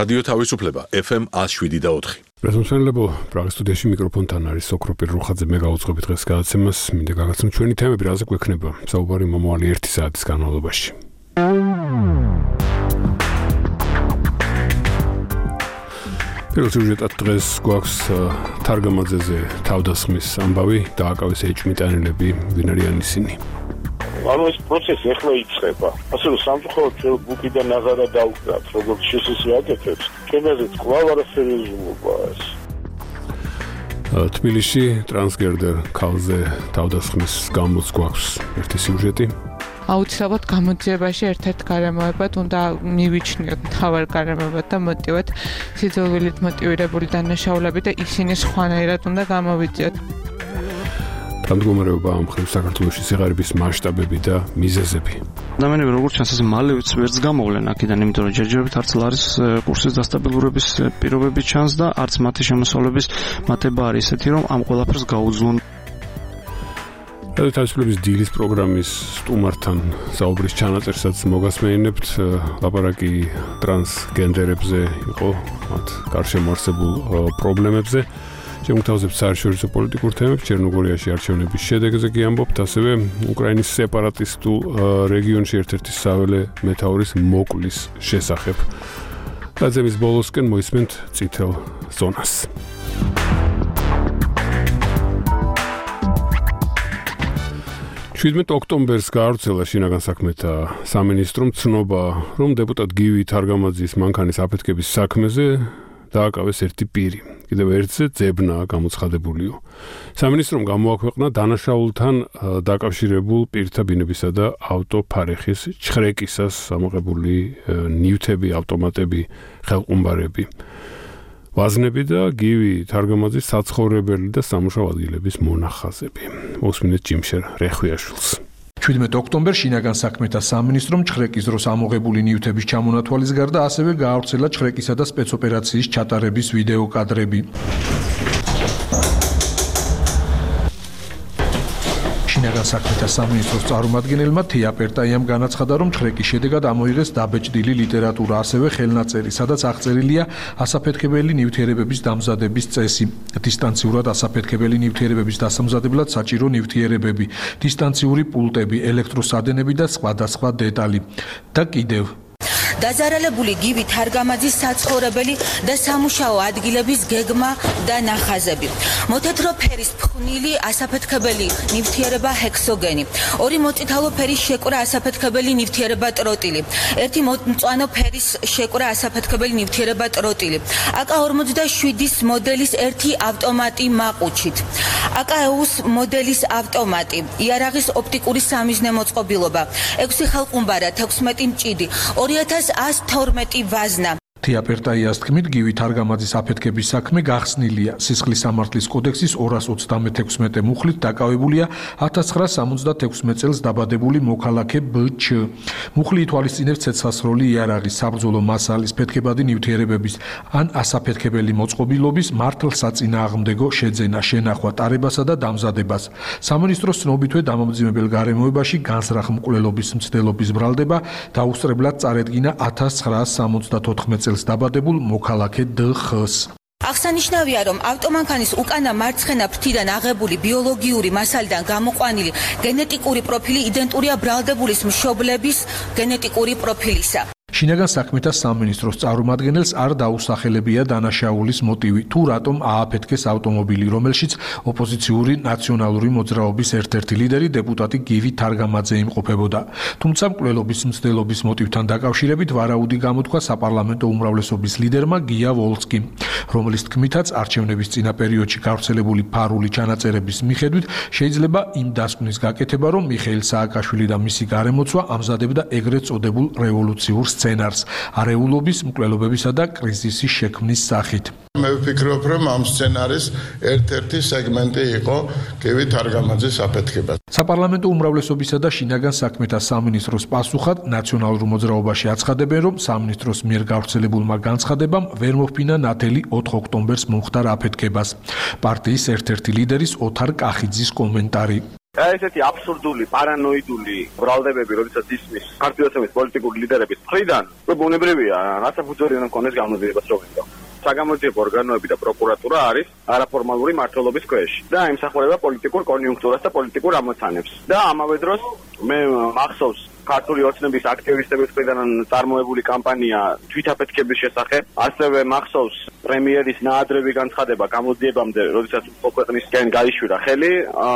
რადიო თავისუფლება FM 107.4. Პრეზენტებო პრაღის სტუდიაში მიკროფონთან არის სოკროპირ რუხაძე. მე გავუძღები დღეს გადაცემას. მინდა გაგაცნო ჩვენი თემები, რაზე გვექნება საუბარი მომავალი 1 საათის განმავლობაში. პირველ სიუჟეტად დღეს გვაქვს თარგამაძეზე თავდასხმის ამბავი, დააკავეს ეჭვმიტანილები, ვინ არიან ისინი. ეს პროცესი ახლა იწყება. ასე რომ სამწუხაროდ ჩვენ ბუკიდან აღარა დავკრათ, როგორც შესაძლოა აკეთებს. ჩვენაზე კვლავ არაფერი უზრუნველყოფა ეს. თბილისში ტრანსგერდერ ქალზე თავდასხმის გამოც გვაქვს ერთი სიუჟეტი. აუცილებლად გამოძიებაში ერთ-ერთ გარემოებად უნდა მივიჩნიოთ მთავარ გარემოებად და მოტივად სიძულვილით მოტივირებული დანაშაულები და ისინი სხვანაირად უნდა გამოვიძიოთ. Დამდგომარეობა ამ მხრივ საქართველოში სიღარიბის მასშტაბები და მიზეზები. ადამიანები როგორც ჩანს ეს მალე ვერც გამოვლენ აქედან, იმიტომ რომ ჯერჯერობით არც ლარის კურსის დასტაბილურების პირობები ჩანს და არც მათი შემოსავლების მატება არის ისეთი, რომ ამ ყველაფერს გაუძლონ. თავისუფლების დილის პროგრამის სტუმართან საუბრის ჩანაწერსაც მოგასმენინებთ. ლაპარაკი ტრანსგენდერებზე იყო, მათ გარშემო არსებულ პრობლემებზე. შემოგთავაზებთ საერთაშორისო პოლიტიკურ თემებს, ჩერნოგორიაში არჩევნების შედეგზე კი ამბობთ, ასევე უკრაინის სეპარატისტულ რეგიონში ერთ-ერთი საველე მეთაურის მოკლის შესახებ. გაზემის ბოლოსკენ მოისმენთ წითელ ზონას. ოქტომბერს გაავრცელა შინაგან საქმეთა სამინისტრომ ცნობა, რომ დეპუტატ გივი თარგამაძის მანქანის აფეთქების საქმეზე დააკავეს ერთი პირი. კიდევ ერთზე ძებნა გამოცხადებულიო. სამინისტრომ გამოაქვეყნა დანაშაულთან დაკავშირებულ პირთა ბინებისა და ავტოფარეხის ჩხრეკისას ამოღებული ნივთები, ავტომატები, ხელყუმბარები. ვაზნები და გივი თარგამაძის საცხოვრებელი და სამუშაო ადგილების მონახაზები. მოსმინეთ ჯიმშერ რეხვიაშვილს. 17 ოქტომბერს შინაგან საქმეთა სამინისტრომ ჩხრეკის დროს ამოღებული ნივთების ჩამონათვალის გარდა ასევე გაავრცელა ჩხრეკისა და სპეცოპერაციის ჩატარების ვიდეო კადრები. შინაგან საქმეთა სამინისტროს წარმომადგენელმა თია პერტაიამ განაცხადა, რომ ჩხრეკის შედეგად ამოიღეს დაბეჭდილი ლიტერატურა, ასევე ხელნაწერი, სადაც აღწერილია ასაფეთქებელი ნივთიერებების დამზადების წესი, დისტანციურად ასაფეთქებელი ნივთიერებების დასამზადებლად საჭირო ნივთიერებები, დისტანციური პულტები, ელექტროსადენები და სხვადასხვა დეტალი. და კიდევ დაზარალებული გივი თარგამაძის საცხოვრებელი და სამუშაო ადგილების გეგმა და ნახაზები. მოთეთრო ფერის ფხვნილი ასაფეთქებელი ნივთიერება ჰექსოგენი, ორი მოწითალო ფერის შეკვრა ასაფეთქებელი ნივთიერება ტროტილი, ერთი მწვანო ფერის შეკვრა ასაფეთქებელი ნივთიერება ტროტილი, AK-47 მოდელის ერთი ავტომატი მაყუჩით, AK-EUS მოდელის ავტომატი, იარაღის ოპტიკური სამიზნე მოწყობილობა, 6 ხელყუმბარა, 16 მჭიდი, 2112 ვაზნა. თია პერტაიას თქმით, გივი თარგამაძის აფეთქების საქმე გახსნილია. სისხლის სამართლის კოდექსის 236 მუხლით დაკავებულია 1976 წელს დაბადებული მოქალაქე ბ.ჩ. მუხლი ითვალისწინებს ცეცხლსროლი იარაღის, საბრძოლო მასალის, ფეთქებადი ნივთიერებების ან ასაფეთქებელი მოწყობილობის მართლსაწინააღმდეგო შეძენა, შენახვა, ტარებასა და დამზადებას. სამინისტროს ცნობითვე დამამძიმებელ გარემოებაში განზრახ მკვლელობის მცდელობის ბრალდება დაუსწრებლად წარედგინა 1974 წელს დაბადებულ მოქალაქე დ.ხ.-ს. აღსანიშნავია, რომ ავტომანქანის უკანა მარცხენა ფრთიდან აღებული ბიოლოგიური მასალიდან გამოყვანილი გენეტიკური პროფილი იდენტურია ბრალდებულის მშობლების გენეტიკური პროფილისა. შინაგან საქმეთა სამინისტროს წარმომადგენელს არ დაუსახელებია დანაშაულის მოტივი, თუ რატომ ააფეთქეს ავტომობილი, რომელშიც ოპოზიციური ნაციონალური მოძრაობის ერთ-ერთი ლიდერი დეპუტატი გივი თარგამაძე იმყოფებოდა. თუმცა მკვლელობის მცდელობის მოტივთან დაკავშირებით ვარაუდი გამოთქვა საპარლამენტო უმრავლესობის ლიდერმა გია ვოლსკიმ, რომლის თქმითაც არჩევნების წინა პერიოდში გავრცელებული ფარული ჩანაწერების მიხედვით შეიძლება იმ დასკვნის გაკეთება, რომ მიხეილ სააკაშვილი და მისი გარემოცვა ამზადებდა ეგრეთ წოდებულ რევოლუციურ სცენარს, არეულობის, მკვლელობებისა და კრიზისის შექმნის სახით. მე ვფიქრობ, რომ ამ სცენარის ერთ-ერთი სეგმენტი იყო გივი თარგამაძის აფეთქება. საპარლამენტო უმრავლესობისა და შინაგან საქმეთა სამინისტროს პასუხად ნაციონალურ მოძრაობაში აცხადებენ, რომ სამინისტროს მიერ გავრცელებულმა განცხადებამ ვერ მოჰფინა ნათელი 4 ოქტომბერს მომხდარ აფეთქებას. პარტიის ერთ-ერთი ლიდერის ოთარ კახიძის კომენტარი. ესეთი აბსურდული, პარანოიდული ბრალდებები, როდესაც ისმის ქართლის პოლიტიკური ლიდერების მხრიდან, ბუნებრივია, რაცა ფუძველი უნდა მქონდეს გამოძიებას რო ვინდო. საგამოძიებო ორგანოები და პროკურატურა არის არაფორმალური მმართველობის ქვეშ და ემსახურება პოლიტიკურ კონიუნქტურას და პოლიტიკურ ამოცანებს. და ამავე დროს მე მახსოვს ქართული ოცნების აქტივისტების მხრიდან წარმოებული კამპანია თვითაფეთქების შესახებ, ასევე მახსოვს პრემიერის ნაადრევი განცხადება გამოძიებამდე, როდესაც ქვეყნისკენ გაიშვირა ხელი,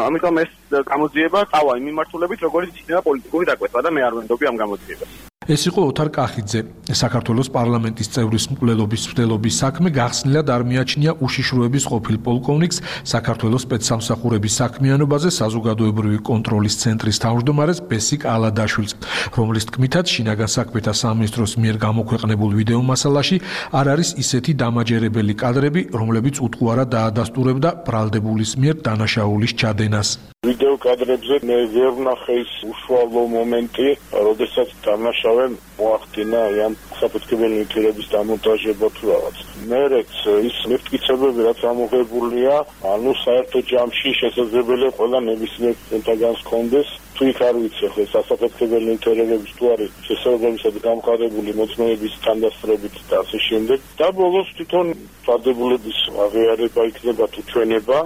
ამიტომ ეს გამოძიება წავა იმ მიმართულებით, როგორც იქნება პოლიტიკური დაკვეთა და მე არ ვენდობი ამ გამოძიებას. ეს იყო ოთარ კახიძე. საქართველოს პარლამენტის წევრის მკვლელობის საქმე გახსნილად არ მიაჩნია უშიშროების ყოფილ პოლკოვნიკს საქართველოს სპეცსამსახურების საქმიანობაზე საზოგადოებრივი კონტროლის ცენტრის თავმჯდომარეს ბესიკ ალადაშვილს, რომლის თქმითაც შინაგან საქმეთა სამინისტროს მიერ გამოქვეყნებულ ვიდეო მასალაში არ არის ისეთი დამაჯერებელი კადრები, რომლებიც უთუარად დაადასტურებდა ბრალდებულის მიერ დანაშაულის ჩადენას. ვიდეო კადრებზე მე ვერ ვნახე ის უშუალო მომენტი, როდესაც დანაშავემ მოახდინა ამ საფეთქებელი ნივთიერების დამონტაჟება თუ რაღაც. მერეც ის მიფტკიცებები, რაც ამოღებულია, ანუ საერთო ჯამში შესაძლებელია ყველა ნებისმიერ ცენტრს კონდეს. თუ იქ არ ვიცი, ხო სასაფეთქებელი ნივთიერებების თუ არის შესაძლებელია გამყარებული მოწმეების თანდასწრებით და ასე შემდეგ. და ბოლოს თვითონ ბრალდებულების აღიარება იქნება თუ ჩვენება.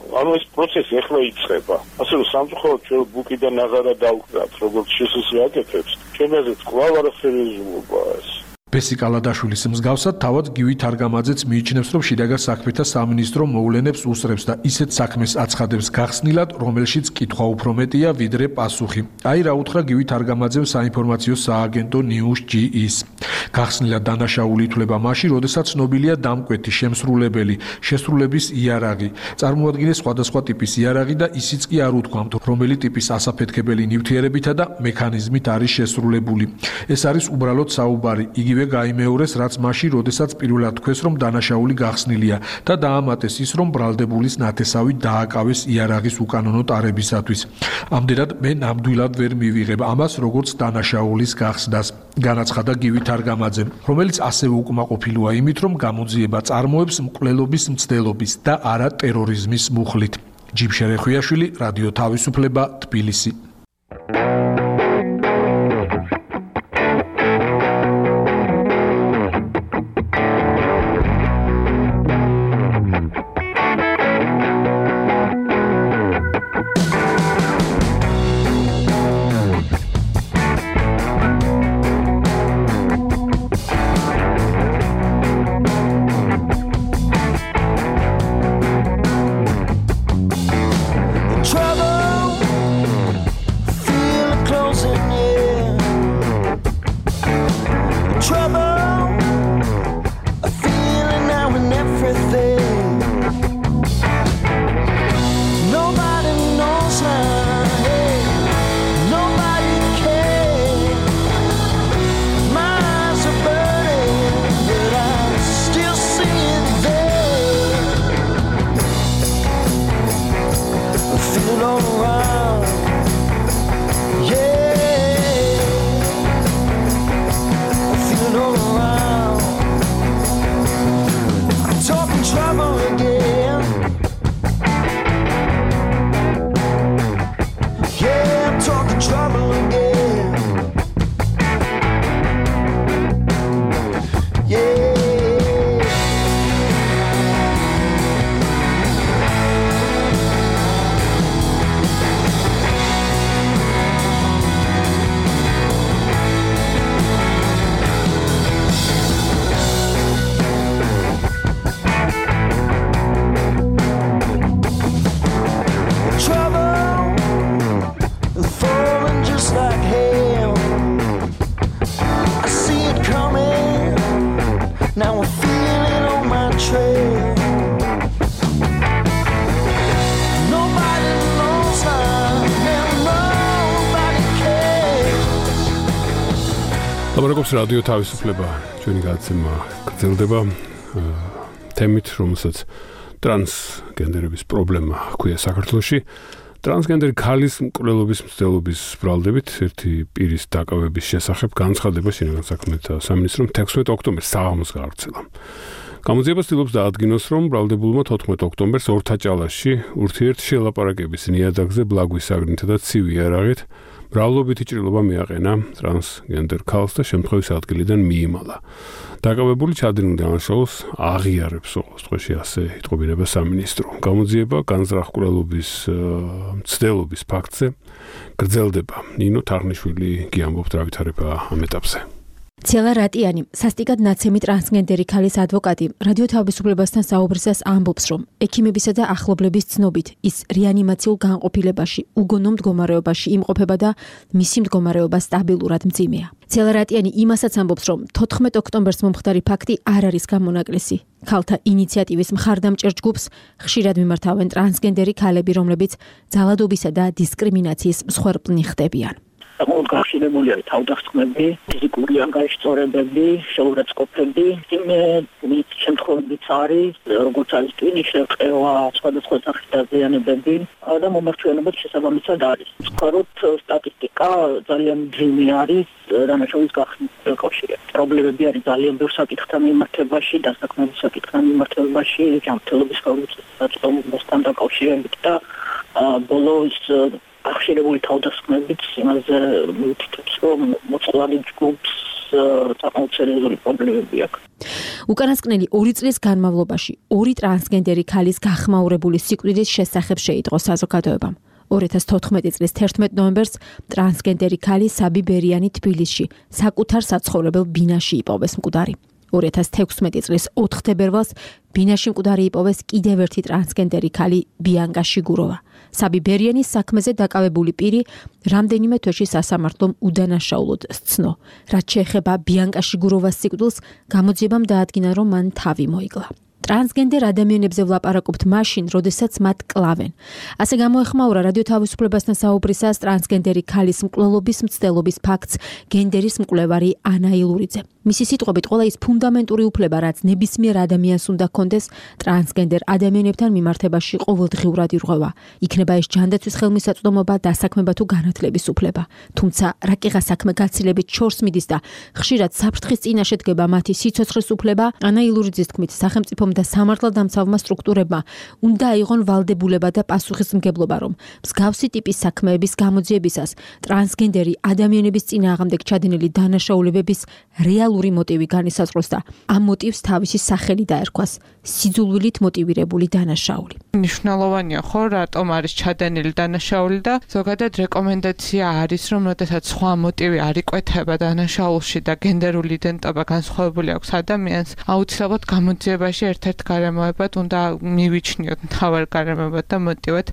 ანუ ეს პროცესი ახლა იწყება. ასე რომ სამწუხაროდ ჩვენ ბუკიდან აღარა დავკრათ, როგორც შესაძლოა, ჩვენაზეც კვლავ არაფერი ეზრუება ეს. ბესიკ ალადაშვილის მსგავსად თავად გივი თარგამაძეც მიიჩნევს, რომ შინაგან საქმეთა სამინისტრო მოვლენებს უსწრებს და ისეთ საქმეს აცხადებს გახსნილად, რომელშიც კითხვა უფრო მეტია ვიდრე პასუხი. აი რა უთხრა გივი თარგამაძემ საინფორმაციო სააგენტო News.gis. გახსნილად დანაშაული ითვლება მაშინ, როდესაც ცნობილია დამკვეთი, შემსრულებელი, შესრულების იარაღი. წარმოადგენს სხვადასხვა ტიპის იარაღი და ისიც კი არ უთქვამთ, რომელი ტიპის ასაფეთქებელი ნივთიერებითა და მექანიზმით არის შესრულებული. ეს არის უბრალოდ საუბარი. იგივე გაიმეორეს, რაც მაშინ, როდესაც პირველად თქვეს, რომ დანაშაული გახსნილია და დაამატეს ის, რომ ბრალდებულის ნათესავი დააკავეს იარაღის უკანონო ტარებისათვის. ამდენად მე ნამდვილად ვერ მივიღებ ამას, როგორც დანაშაულის გახსნას. განაცხადა გივი თარგამაძემ, რომელიც ასევე უკმაყოფილოა იმით, რომ გამოძიება წარმოებს მკვლელობის მცდელობის და არა ტერორიზმის მუხლით. ჯიმშერ ეხვიაშვილი, რადიო თავისუფლება, თბილისი. ლაპარაკობს რადიო თავისუფლება, ჩვენი გადაცემა გრძელდება თემით, რომელსაც ტრანსგენდერების პრობლემა ჰქვია საქართველოში. ტრანსგენდერი ქალის მკვლელობის მცდელობის ბრალდებით ერთი პირის დაკავების შესახებ განცხადება შინაგან საქმეთა სამინისტრომ 16 ოქტომბერს საღამოს გაავრცელა. გამოძიება ცდილობს დაადგინოს, რომ ბრალდებულმა 14 ოქტომბერს ორთაჭალაში ურთიერთშელაპარაკების ნიადაგზე ბლაგვის საგნითა და ცივი იარაღით მრავლობითი ჭრილობა მიაყენა ტრანსგენდერ ქალს და შემთხვევის ადგილიდან მიიმალა. დაკავებული ჩადენილ დანაშაულს აღიარებს უყურს დღეში ასე იტყობინება სამინისტრო. გამოძიება განზრახკვლელობის მცდელობის ფაქტზე გრძელდება. ნინო თარგნიშვილი გიამბობთ რა ვითარება ამ ეტაპზე. ცელა რატიანი, სასტიკად ნაცემი ტრანსგენდერი ქალის ადვოკატი, რადიო თავისუფლებასთან საუბრისას ამბობს, რომ ექიმებისა და ახლობლების ცნობით ის რეანიმაციულ განყოფილებაში, უგონო მდგომარეობაში იმყოფება და მისი მდგომარეობა სტაბილურად მძიმეა. ცელა რატიანი იმასაც ამბობს, რომ 14 ოქტომბერს მომხდარი ფაქტი არ არის გამონაკლისი. ქალთა ინიციატივის მხარდამჭერ ჯგუფს ხშირად მიმართავენ ტრანსგენდერი ქალები, რომლებიც ძალადობისა და დისკრიმინაციის მსხვერპლნი ხდებიან. გახსნებულია თავდასხმები, ფიზიკური ანგარიშწორებები, შეურაცხყოფები, იმ შემთხვევებიც არის, როგორც არის ტვინის შევყევა, სხვადასხვა სახის დაზიანებები და მომართვენობა შესაბამისად არის. ვთქვათ, სტატისტიკა ძალიან ძიმე არის დანაშაულის გახსნის კავშირით. პრობლემები არის ძალიან ბევრ საკითხთან მიმართებაში, დასაქმების საკითხთან მიმართებაში, ჯანმრთელობის ხელმისაწვდომასთან დაკავშირებით და ბოლოს ახშირებული თავდასხმებით იმაზე მითითებს, რომ მოწყვლადი ჯგუფს საკმაოდ სერიოზული პრობლემები აქვს. უკანასკნელი 2 წლის განმავლობაში 2 ტრანსგენდერი ქალის გახმაურებული სიკვდილის შესახებ შეიტყო საზოგადოებამ. 2014 წლის 11 ნოემბერს ტრანსგენდერი ქალი საბი ბერიანი თბილისში საკუთარ საცხოვრებელ ბინაში იპოვეს მკვდარი. 2016 წლის 4 თებერვალს ბინაში მკვდარი იპოვეს კიდევ ერთი ტრანსგენდერი ქალი ბიანკა შიგუროვა. საბი ბერიანის საქმეზე დაკავებული პირი რამდენიმე თვეში სასამართლომ უდანაშაულოდ სცნო. რაც შეეხება ბიანკა შიგუროვას სიკვდილს, გამოძიებამ დაადგინა, რომ მან თავი მოიკლა. ტრანსგენდერ ადამიანებზე ვლაპარაკობთ მაშინ, როდესაც მათ კლავენ. ასე გამოეხმაურა რადიო თავისუფლებასთან საუბრისას ტრანსგენდერი ქალის მკვლელობის მცდელობის ფაქტს გენდერის მკვლევარი ანა ილურიძე. მისი სიტყვებით, ყველა ის ფუნდამენტური უფლება, რაც ნებისმიერ ადამიანს უნდა ჰქონდეს, ტრანსგენდერ ადამიანებთან მიმართებაში ყოველდღიურად ირღვევა. იქნება ეს ჯანდაცვის ხელმისაწვდომობა, დასაქმება თუ განათლების უფლება. თუმცა რაკიღა საქმე გაცილებით შორს მიდის და ხშირად საფრთხის წინაშე დგება მათი სიცოცხლის უფლება, ანა ილურიძის თქმით, სახელმწიფომ და სამართალდამცავმა სტრუქტურებმა უნდა აიღონ ვალდებულება და პასუხისმგებლობა, რომ მსგავსი ტიპის საქმეების გამოძიებისას ტრანსგენდერი ადამიანების წინააღმდეგ ჩადენილი დანაშაულებების რეალური მოტივი განისაზღვროს და ამ მოტივს თავისი სახელი დაერქვას სიძულვილით მოტივირებული დანაშაული. მნიშვნელოვანია ხო, რატომ არის ჩადენილი დანაშაული და ზოგადად რეკომენდაცია არის, რომ როდესაც სხვა მოტივი არ იკვეთება დანაშაულში და გენდერული იდენტობა განსხვავებული აქვს ადამიანს, აუცილებლად გამოძიებაში ერთ-ერთ გარემოებად უნდა მივიჩნიოთ მთავარ გარემოებად და მოტივად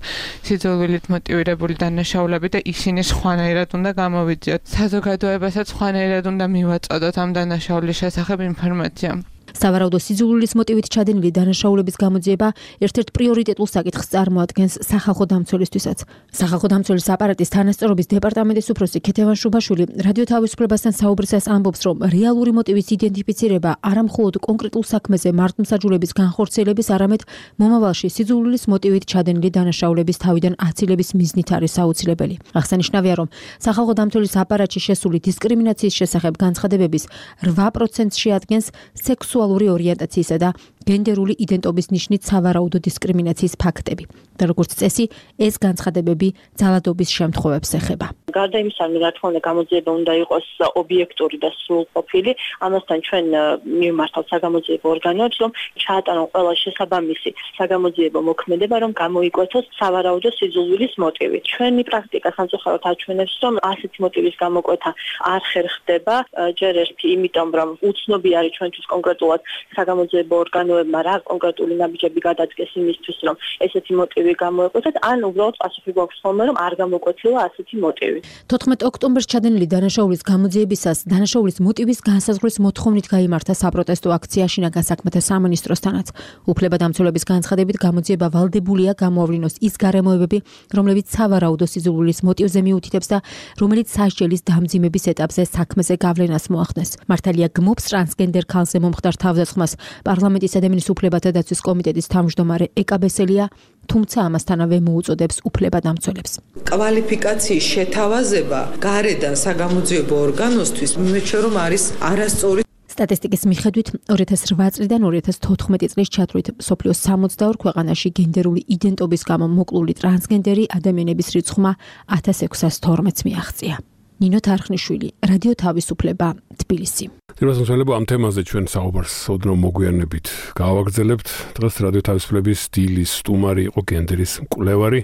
სიძულვილით მოტივირებული დანაშაულები და ისინი სხვანაირად უნდა გამოვიძიოთ. საზოგადოებასაც სხვანაირად უნდა მივაწოდოთ ამ დანაშაულის შესახებ ინფორმაცია. სავარაუდო სიძულვილის მოტივით ჩადენილი დანაშაულების გამოძიება ერთ-ერთ პრიორიტეტულ საკითხს წარმოადგენს სახალხო დამცველისთვისაც. სახალხო დამცველის აპარატის თანასწორობის დეპარტამენტის უფროსი ქეთევან შუბაშვილი რადიო თავისუფლებასთან საუბრისას ამბობს, რომ რეალური მოტივის იდენტიფიცირება არა მხოლოდ კონკრეტულ საქმეზე მართლმსაჯულების განხორციელების, არამედ მომავალში სიძულვილის მოტივით ჩადენილი დანაშაულების თავიდან აცილების მიზნით არის აუცილებელი. აღსანიშნავია, რომ სახალხო დამცველის აპარატში შესული დისკრიმინაციის შესახებ განცხადებების 8%-ს შეადგენს სექსუალური ორიენტაციისა და გენდერული იდენტობის ნიშნით სავარაუდო დისკრიმინაციის ფაქტები. და როგორც წესი, ეს განცხადებები ძალადობის შემთხვევებს ეხება. გარდა იმისა, რა თქმა უნდა, გამოძიება უნდა იყოს ობიექტური და სრულყოფილი. ამასთან ჩვენ მიმართავთ საგამოძიებო ორგანოებს, რომ ჩაატარონ ყველა შესაბამისი საგამოძიებო მოქმედება, რომ გამოიკვეთოს სავარაუდო სიძულვილის მოტივი. ჩვენი პრაქტიკა სამწუხაროდ აჩვენებს, რომ ასეთი მოტივის გამოკვეთა არ ხერხდება, ჯერ ერთი იმიტომ, რომ უცნობი არის ჩვენთვის კონკრეტულად საგამოძიებო ორგანოებმა რა კონკრეტული ნაბიჯები გადადგეს იმისთვის, რომ ესეთი მოტივი გამოეკვეთათ, ან უბრალოდ პასუხი გვაქვს ხოლმე, რომ არ გამოკვეთილა ასეთი მოტივი. 14 ოქტომბერს ჩადენილი დანაშაულის გამოძიებისას დანაშაულის მოტივის განსაზღვრის მოთხოვნით გაიმართა საპროტესტო აქცია შინაგან საქმეთა სამინისტროსთანაც. უფლებადამცველების განცხადებით გამოძიება ვალდებულია გამოავლინოს ის გარემოებები, რომლებიც სავარაუდო სიძულვილის მოტივზე მიუთითებს და რომელიც სასჯელის დამძიმების ეტაპზე საქმეზე გავლენას მოახდენს. მართალია გმობს ტრანსგენდერ ქალზე მომხდარ თავდასხმას პარლამენტის ადამიანის უფლებათა დაცვის კომიტეტის თავმჯდომარე ეკაბესელია, თუმცა ამასთანავე მოუწოდებს უფლებადამცველებს. კვალიფიკაციის შეთავაზება გარედან საგამოძიებო ორგანოსთვის მიმეჩნია, რომ არის არასწორი. სტატისტიკის მიხედვით 2008 წლიდან 2014 წლის ჩათვლით მსოფლიოს 62 ქვეყანაში გენდერული იდენტობის გამო მოკლული ტრანსგენდერი ადამიანების რიცხვმა 1612-ს მიაღწია. ნინო თარხნიშვილი, რადიო თავისუფლება, თბილისი. თირვასმოსვალებო, ამ თემაზე ჩვენ საუბარს ოდნავ მოგვიანებით გავაგრძელებთ. დღეს რადიო თავისუფლების დილის სტუმარი იყო გენდერის მკვლევარი,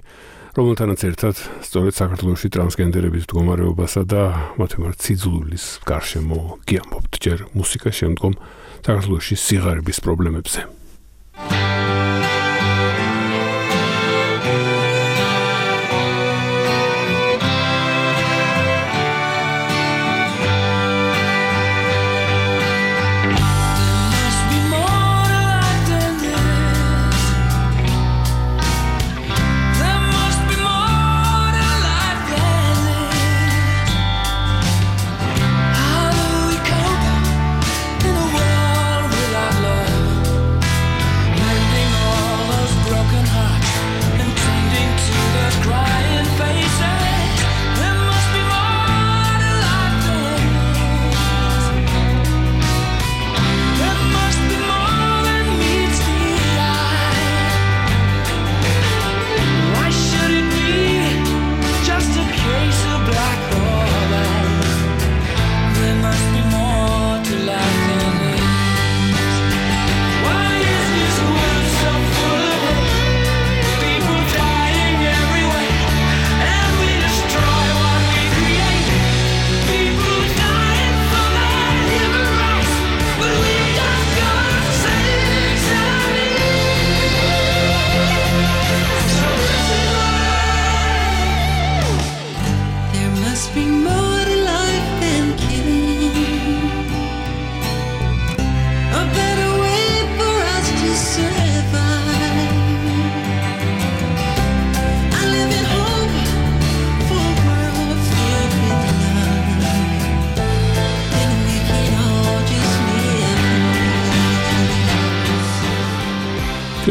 რომელთანაც ერთად სწორედ საქართველოში ტრანსგენდერების მდგომარეობასა და მათ მიმართ სიძულვილის გარშემო გიამბობთ. ჯერ მუსიკა, შემდგომ საქართველოში სიღარიბის პრობლემებზე.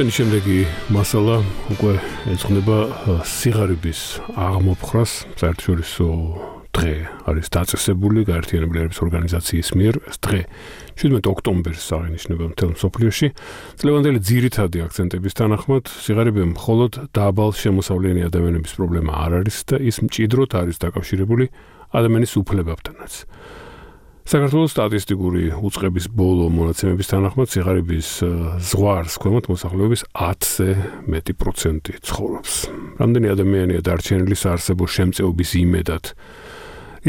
ჩვენი შემდეგი მასალა უკვე ეძღვნება სიღარიბის აღმოფხრას. საერთაშორისო დღე არის დაწესებული გაერთიანებული ერების ორგანიზაციის მიერ. ეს დღე 17 ოქტომბერს აღინიშნება მთელ მსოფლიოში. წლევანდელი ძირითადი აქცენტების თანახმად სიღარიბე მხოლოდ დაბალ შემოსავლიანი ადამიანების პრობლემა არ არის და ის მჭიდროდ არის დაკავშირებული ადამიანის უფლებებთანაც. საქართველოს სტატისტიკური უწყების ბოლო მონაცემების თანახმად სიღარიბის ზღვარს ქვემოთ მოსახლეობის 10-ზე მეტი პროცენტი ცხოვრობს. რამდენი ადამიანია დარჩენილი საარსებო შემწეობის იმედად?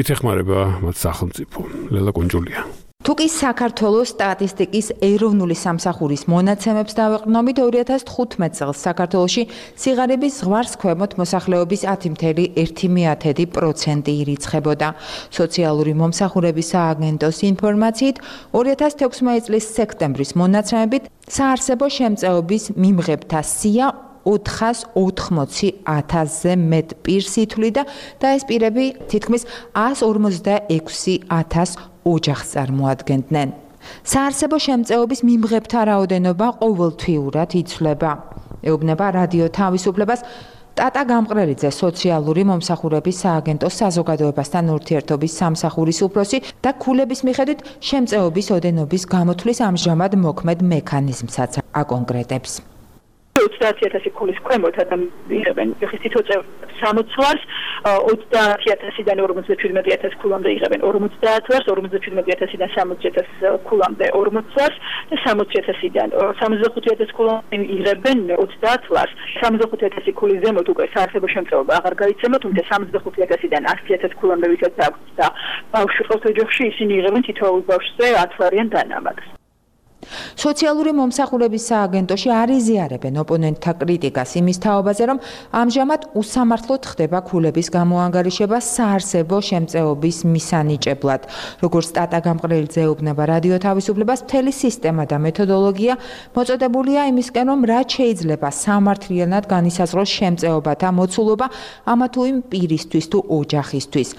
ითეხმარება მათ სახელმწიფო. ლელა კონჯულია. თუკი საქართველოს სტატისტიკის ეროვნული სამსახურის მონაცემებს დავეყრდნობით 2015 წელს საქართველოში სიღარიბის ზღვარს ქვემოთ მოსახლეობის 10,1% ირიცხებოდა. სოციალური მომსახურების სააგენტოს ინფორმაციით 2016 წლის სექტემბრის მონაცემებით საარსებო შემწეობის მიმღებთა სია 480,000-ზე მეტ პირს ითვლიდა და ეს პირები თითქმის 146,000 ოჯახს წარმოადგენდნენ. საარსებო შემწეობის მიმღებთა რაოდენობა ყოველთვიურად იცვლება. ეუბნება რადიო თავისუფლებას ტატა გამყრელიძე, სოციალური მომსახურების სააგენტოს საზოგადოებასთან ურთიერთობის სამსახურის უფროსი და ქულების მიხედვით შემწეობის ოდენობის გამოთვლის ამჟამად მოქმედ მექანიზმსაც აკონკრეტებს. 30,000 ქულის ქვემოთ ადამიანებენ ხისტიტოწევ 60 ვარს 30,000-დან 47,000 ქულამდე იღებენ 50 ვარს 47,000-დან 60,000 ქულამდე 40 ვარს და 60,000-დან 65,000 ქულამდე იღებენ 30 ვარს 65,000 ქულის ზემოთ უკვე საარსებო შემწეობა აღარ გაიცემა, თუმცა 65,000-დან 100,000 ქულამდე ვისაც აქვს და ბავშვი ყავთ ოჯახში, ისინი იღებენ თითოეულ ბავშვზე 10 ვარიან დანამატს. სოციალური მომსახურების სააგენტოში არ იზიარებენ ოპონენტთა კრიტიკას იმის თაობაზე, რომ ამჟამად უსამართლოდ ხდება ქულების გამოანგარიშება საარსებო შემწეობის მისანიჭებლად. როგორც ტატა გამყრელიძე ეუბნება რადიო თავისუფლებას, მთელი სისტემა და მეთოდოლოგია მოწოდებულია იმისკენ, რომ რაც შეიძლება სამართლიანად განისაზღვროს შემწეობათა მოცულობა ამა თუ იმ პირისთვის თუ ოჯახისთვის.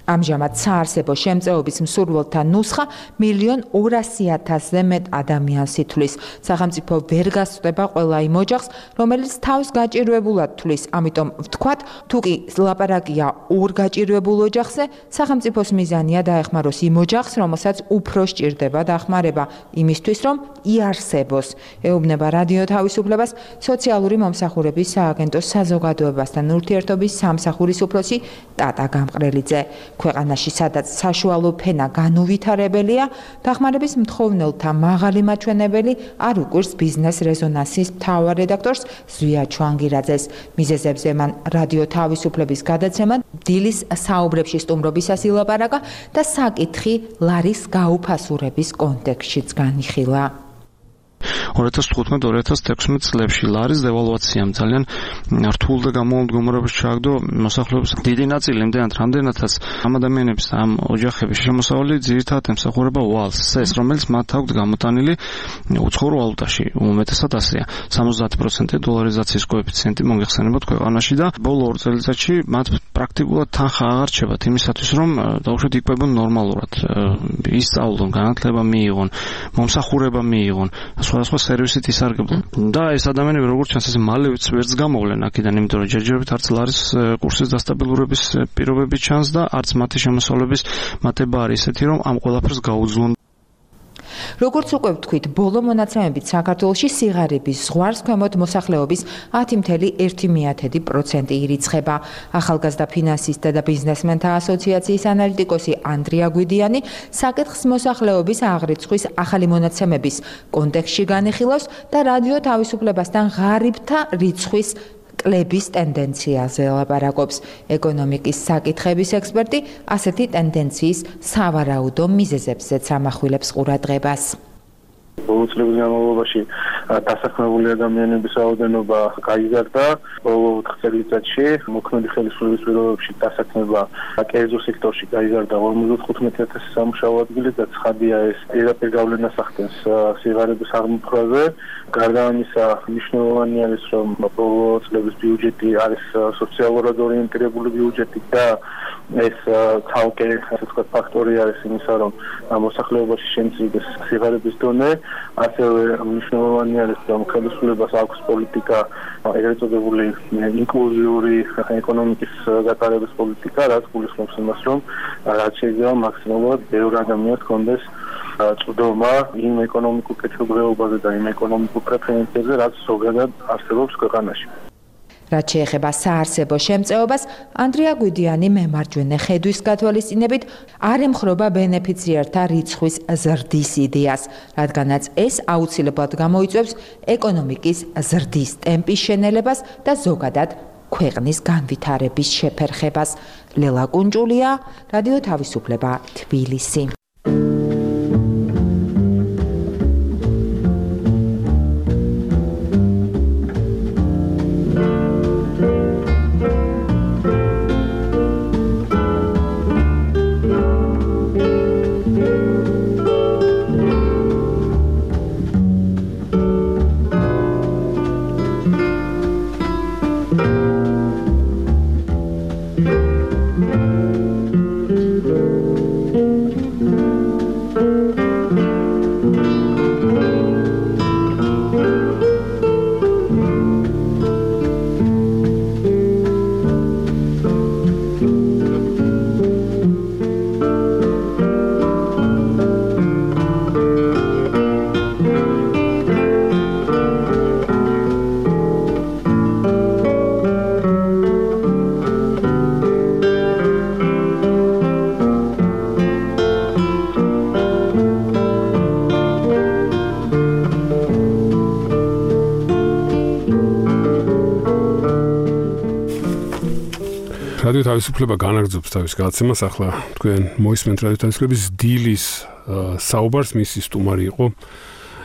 ამჟამად საარსებო შემწეობის მსურველთა ნუსხა 1,200,000-ზე მეტ ადამიანს ითვლის. სახელმწიფო ვერ გასწვდება ყველა იმ ოჯახს, რომელიც თავს გაჭირვებულად თვლის. ამიტომ ვთქვათ, თუ კი ლაპარაკია ორ გაჭირვებულ ოჯახზე, სახელმწიფოს მიზანია დაეხმაროს იმ ოჯახს, რომელსაც უფრო სჭირდება დახმარება, იმისთვის რომ იარსებოს. ეუბნება რადიო თავისუფლებას სოციალური მომსახურების სააგენტოს საზოგადოებასთან ურთიერთობის სამსახურის უფროსი ტატა გამყრელიძე. ქვეყანაში სადაც საშუალო ფენა განუვითარებელია, დახმარების მთხოვნელთა მაღალი მაჩვენებელი არ უკვირს ბიზნეს რეზონანსის მთავარ რედაქტორს ზვია ჩუანგირაძეს. მიზეზებზე მან რადიო თავისუფლების გადაცემად დილის საუბრებში სტუმრობისას ილაპარაკა და საკითხი ლარის გაუფასურების კონტექსტშიც განიხილა. 2015-2016 წლებში ლარის დევალვაციამ ძალიან რთულ და გამომდგომრებას ჩააგდო მოსახლეობის დიდი ნაწილი, იმდენად რამდენადაც ამ ადამიანების ამ ოჯახების შემოსავალი ძირითადად ემსახურება ვალს, ეს რომელიც მათ აქვთ გამოტანილი უცხოურ ვალუტაში, უმეტესად ასეა. 70% დოლარიზაციის კოეფიციენტი მოიხსენებათ ქვეყანაში და ბოლო 2 წელიწადში მათ პრაქტიკულად თანხა აღარ რჩებათ იმისათვის, რომ დაუშვათ იკვებონ ნორმალურად, ისწავლონ, განათლება მიიღონ, მომსახურება მიიღონ, სხვადასხვა სერვისით ისარგებლონ. და ეს ადამიანები როგორც ჩანს ეს მალევიც ვერც გამოვლენ აქედან, იმიტომ რომ ჯერჯერობით არც ლარის კურსის დასტაბილურების პირობები ჩანს და არც მათი შემოსავლების მატება არის ესეთი, რომ ამ ყველაფერს გაუძლონ. როგორც უკვე ვთქვით, ბოლო მონაცემებით საქართველოში სიღარიბის ზღვარს ქვემოთ მოსახლეობის 10,1% ირიცხება. ახალგაზრდა ფინანსისტთა და ბიზნესმენთა ასოციაციის ანალიტიკოსი ანდრია გვიდიანი საკითხს მოსახლეობის აღრიცხვის ახალი მონაცემების კონტექსტში განიხილავს და რადიო თავისუფლებასთან ღარიბთა რიცხვის კლების ტენდენციაზე ლაპარაკობს. ეკონომიკის საკითხების ექსპერტი ასეთი ტენდენციის სავარაუდო მიზეზებზეც ამახვილებს ყურადღებას. ბოლო წლების განმავლობაში დასაქმებული ადამიანების რაოდენობა გაიზარდა. ბოლო 4 წელიწადში მოქმედი ხელისუფლების პირობებში დასაქმება კერძო სექტორში გაიზარდა 55,000 სამუშაო ადგილი და ცხადია ეს პირდაპირ გავლენას ახდენს სიღარიბის აღმოფხვრაზე. გარდა ამისა, მნიშვნელოვანი არის, რომ ბოლო წლების ბიუჯეტი არის სოციალურად ორიენტირებული ბიუჯეტი და ეს ცალკე ასე ვთქვათ ფაქტორი არის იმისა, რომ მოსახლეობაში შემცირდეს სიღარიბის დონე. ასევე მნიშვნელოვანი არის, რომ ხელისუფლებას აქვს პოლიტიკა, ეგრეთ წოდებული ინკლუზიური ეკონომიკის გატარების პოლიტიკა, რაც გულისხმობს იმას, რომ რაც შეიძლება მაქსიმალურად ბევრ ადამიანს ჰქონდეს წვდომა იმ ეკონომიკურ კეთილდღეობაზე და იმ ეკონომიკურ პრეფერენციებზე, რაც ზოგადად არსებობს ქვეყანაში. რაც შეეხება საარსებო შემწეობას, ანდრია გვიდიანი მემარჯვენე ხედვის გათვალისწინებით არ ემხრობა ბენეფიციართა რიცხვის ზრდის იდეას, რადგანაც ეს აუცილებლად გამოიწვევს ეკონომიკის ზრდის ტემპის შენელებას და ზოგადად ქვეყნის განვითარების შეფერხებას. ლელა კუნჭულია, რადიო თავისუფლება, თბილისი. რადიო თავისუფლება განაგრძობს თავის გადაცემას. ახლა თქვენ მოისმენთ რადიო თავისუფლების დილის საუბარს. მისი სტუმარი იყო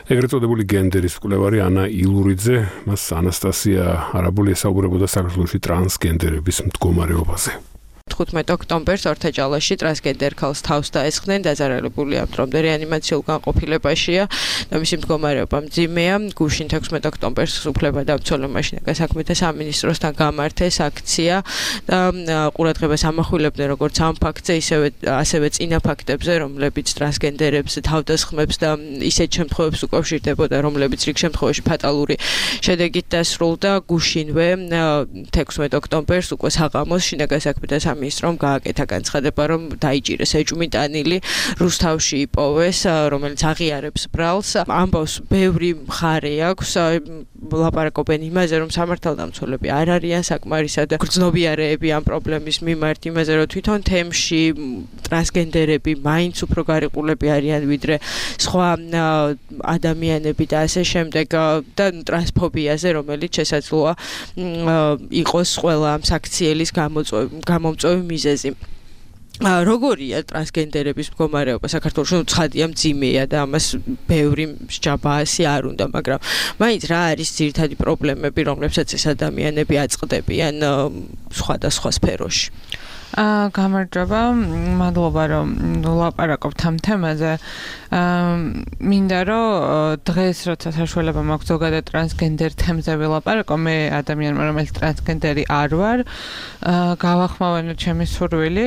ეგრეთ წოდებული გენდერის მკვლევარი ანა ილურიძე. მას ანასტასია არაბული ესაუბრებოდა საქართველოში ტრანსგენდერების მდგომარეობაზე. 15 ოქტომბერს ორთაჭალაში ტრანსგენდერ ქალს თავს დაესხნენ, დაზარალებული ამ დრომდე რეანიმაციულ განყოფილებაშია და მისი მდგომარეობა მძიმეა. გუშინ 16 ოქტომბერს უფლებადამცველმა მაშინაკა საქმეთა სამინისტროსთან გამართეს აქცია და ყურადღებას ამახვილებდნენ როგორც ამ ფაქტზე, ასევე წინა ფაქტებზე, რომლებიც ტრანსგენდერებს თავდასხმებს და ისეთ შემთხვევებს უკავშირდებოდა, რომლებიც რიგ შემთხვევაში ფატალური შედეგით დასრულდა. გუშინვე 16 ოქტომბერს უკვე საღამოს შინაგან საქმეთა სამინისტრომ გააკეთა განცხადება, რომ დაიჭირეს ეჭვმიტანილი რუსთავში იპოვეს, რომელიც აღიარებს ბრალს. ამბავს ბევრი მხარე აქვს, ლაპარაკობენ იმაზე, რომ სამართალდამცველები არ არიან საკმარისად გრძნობიარეები ამ პრობლემის მიმართ, იმაზე, რომ თვითონ თემში ტრანსგენდერები მაინც უფრო გარიყულები არიან ვიდრე სხვა ადამიანები და ასე შემდეგ და ტრანსფობიაზე, რომელიც შესაძლოა იყოს ყველა ამ საქციელის გამომწვევი მიზეზი. როგორია ტრანსგენდერების მდგომარეობა საქართველოში? ცხადია მძიმეა და ამას ბევრი მსჯაბაასი არ უნდა, მაგრამ მაინც რა არის ძირითადი პრობლემები, რომლებსაც ეს ადამიანები აწყდებიან სხვადასხვა სფეროში? გამარჯობა, მადლობა რომ ვლაპარაკობთ ამ თემაზე. მინდა რომ დღეს როცა საშუალება მაქვს ზოგადად ტრანსგენდერ თემზე ვილაპარაკო, მე ადამიანმა რომელიც ტრანსგენდერი არ ვარ, გავახმოვანო ჩემი სურვილი,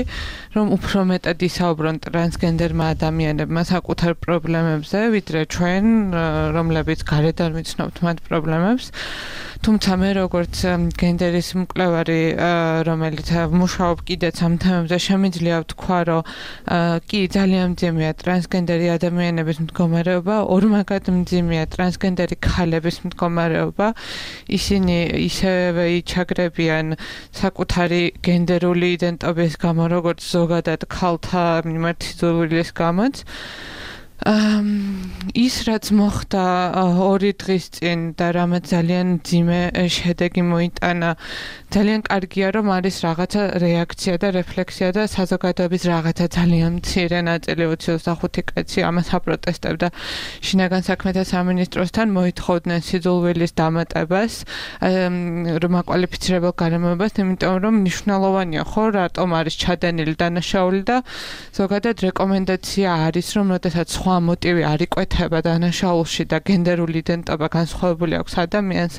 რომ უფრო მეტად ისაუბრონ ტრანსგენდერმა ადამიანებმა საკუთარ პრობლემებზე, ვიდრე ჩვენ, რომლებიც გარედან ვიცნობთ მათ პრობლემებს. თუმცა მე როგორც გენდერის მკვლევარი, რომელიც მუშაობ კიდეც ამ თემებზე, შემიძლია ვთქვა, რომ კი ძალიან მძიმეა ტრანსგენდერი ადამიანების მდგომარეობა, ორმაგად მძიმეა ტრანსგენდერი ქალების მდგომარეობა. ისინი ისევე იჩაგრებიან საკუთარი გენდერული იდენტობის გამო, როგორც ზოგადად ქალთა მიმართ სიძულვილის გამოც. ის რაც მოხდა 2 დღის წინ და რამაც ძალიან მძიმე შედეგი მოიტანა, ძალიან კარგია რომ არის რაღაცა რეაქცია და რეფლექსია და საზოგადოების რაღაცა ძალიან მცირე ნაწილი 25 კაცი ამას აპროტესტებდა შინაგან საქმეთა სამინისტროსთან, მოითხოვდნენ სიძულვილის დამატებას, რომ აკვალიფიცირებელ გარემოებას, იმიტომ რომ მნიშვნელოვანია ხო რატომ არის ჩადენილი დანაშაული და ზოგადად რეკომენდაცია არის რომ როდესაც სხვა მოტივი არ იკვეთება დანაშაულში და გენდერული იდენტობა განსხვავებული აქვს ადამიანს,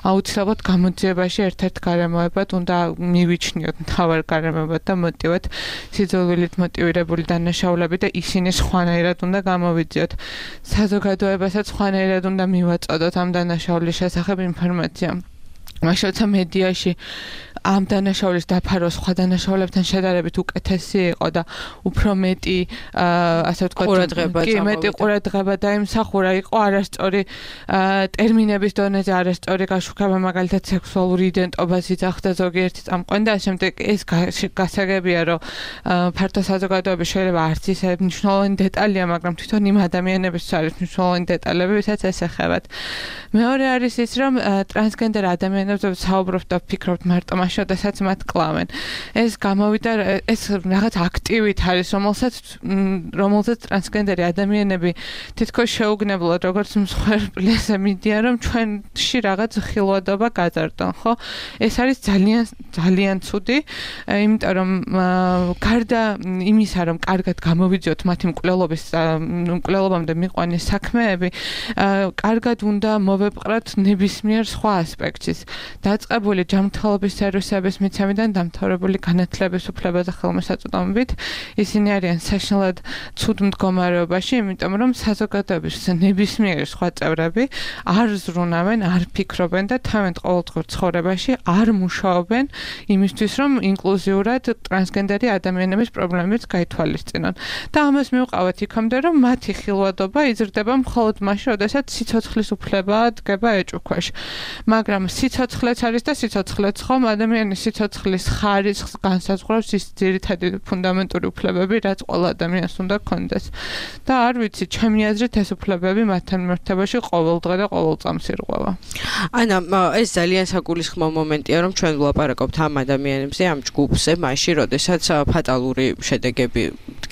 აუცილებლად გამოძიებაში ერთ-ერთ გარემოებად უნდა მივიჩნიოთ მთავარ გარემოებად და მოტივად სიძულვილით მოტივირებული დანაშაულები და ისინი სხვანაირად უნდა გამოვიძიოთ. საზოგადოებასაც სხვანაირად უნდა მივაწოდოთ ამ დანაშაულის შესახებ ინფორმაცია. მაშინ მედიაში ამ დანაშაულის დაფარო სხვა დანაშაულებთან შედარებით უკეთესი იყო და უფრო მეტი ასე ვთქვათ, მეტი ყურადღება დაიმსახურა, იყო არასწორი ტერმინების დონეზე არასწორი გაშუქება, მაგალითად სექსუალური იდენტობას იძახდა ზოგიერთი წამყვანი და ამ შემდეგ ეს გასაგებია, რომ ფართო საზოგადოების შეიძლება არც ისე მნიშვნელოვანი დეტალია, მაგრამ თვითონ იმ ადამიანების არის მნიშვნელოვანი დეტალები, ვისაც ეს ეხებათ. მეორე არის ის, რომ ტრანსგენდერ ადამიანებზე საუბრობთ და ფიქრობთ მარტო მაშინ, როდესაც მათ კლავენ. ეს გამოვიდა, ეს რაღაც აქტივით არის, რომელსაც ტრანსგენდერი ადამიანები თითქოს შეუგნებლად როგორც მსხვერპლზე მიდიან, რომ ჩვენში რაღაც ხილვადობა გაძარდონ, ხო? ეს არის ძალიან ძალიან ცუდი, იმიტომ რომ გარდა იმისა, რომ კარგად გამოვიძიოთ მათი მკვლელობამდე მიყვანის საქმეები, კარგად უნდა მოვეპყრათ ნებისმიერ სხვა ასპექტის. დაწყებული ჯანმრთელობის სერვისების მიცემიდან დამთავრებული განათლების უფლებაზე ხელმისაწვდომობით, ისინი არიან საშინლად ცუდ მდგომარეობაში, იმიტომ რომ საზოგადოების ნებისმიერი სხვა წევრები არ ზრუნავენ, არ ფიქრობენ და თავენ ყოველდღიურ ცხოვრებაში არ მუშაობენ იმისთვის, რომ ინკლუზიურად ტრანსგენდერი ადამიანების პრობლემებს გაითვალისწინონ. და ამას მივყავთ იქამდე, რომ მათი ხილვადობა იზრდება მხოლოდ მაშინ, როდესაც სიცოცხლის უფლება დგება ეჭვქვეშ. მაგრამ სიცოცხლეც არის და სიცოცხლეც ხომ ადამიანის სიცოცხლის ხარისხს განსაზღვრავს ის ძირითადი ფუნდამენტური უფლებები, რაც ყველა ადამიანს უნდა ჰქონდეს. და არ ვიცი, ჩემი აზრით ეს უფლებები მათთან მიმართებაში ყოველდღე და ყოველ წამს ირღვევა. ანა, ეს ძალიან საგულისხმო მომენტია, რომ ჩვენ ვლაპარაკობთ ამ ადამიანებზე, ამ ჯგუფზე, მაშინ, როდესაც ფატალური შედეგები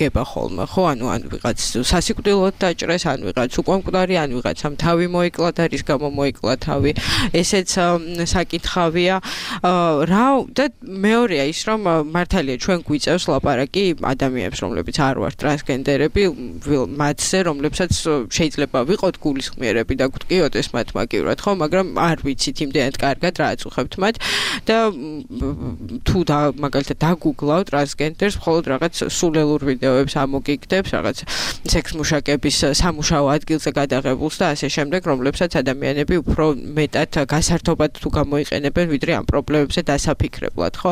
დგება ხოლმე, ხო? ან ვიღაც სასიკვდილოდ დაჭრეს, ან ვიღაც უკვე მკვდარი, ან ვიღაცამ თავი მოიკლა და რის გამო მოიკლა თავი. ესეც საკითხავია. რა და მეორეა ის, რომ მართალია ჩვენ გვიწევს ლაპარაკი ადამიანებს, რომლებიც არ ვართ ტრანსგენდერები, მათზე, რომლებსაც შეიძლება ვიყოთ გულისხმიერები და გვტკიოდეს მათ მაგივრად, ხო, მაგრამ არ ვიცით იმდენად კარგად რა აწუხებთ მათ და თუ მაგალითად დაგუგლავ ტრანსგენდერს, მხოლოდ რაღაც სულელურ ვიდეოებს ამოგიგდებს, რაღაც სექს მუშაკების სამუშაო ადგილზე გადაღებულს და ასე შემდეგ, რომლებსაც ადამიანები უფრო მეტად გასართობად თუ გამოიყენებენ, ვიდრე ამ პრობლემებზე დასაფიქრებლად, ხო?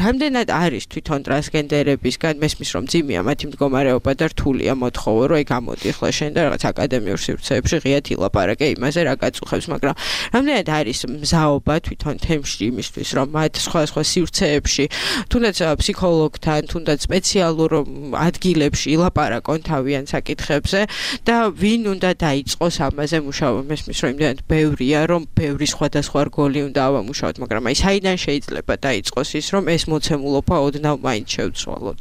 რამდენად არის თვითონ ტრანსგენდერებისგან მესმის რომ ძიმია მათი მდგომარეობა და რთულია მოთხოვო, რომ გამოდი ახლა შენ და რაღაც აკადემიურ სივრცეებში ღიად ილაპარაკე იმაზე, რა გაწუხებს, მაგრამ რამდენად არის მზაობა თვითონ თემში იმისთვის, რომ მათ სხვა სივრცეებში, თუნდაც ფსიქოლოგთან, თუნდაც სპეციალურ ადგილებში ილაპარაკონ თავიანთ საკითხებზე და ვინ უნდა დაიწყოს ამაზე მუშაობა, მესმის რომ იმდენად ბევრია, რომ ბევრი სხვადასხვა რგოლი უნდა ავამუშაოთ, მაგრამ აი საიდან შეიძლება დაიწყოს ის, რომ ეს მოცემულობა ოდნავ მაინც შევცვალოთ?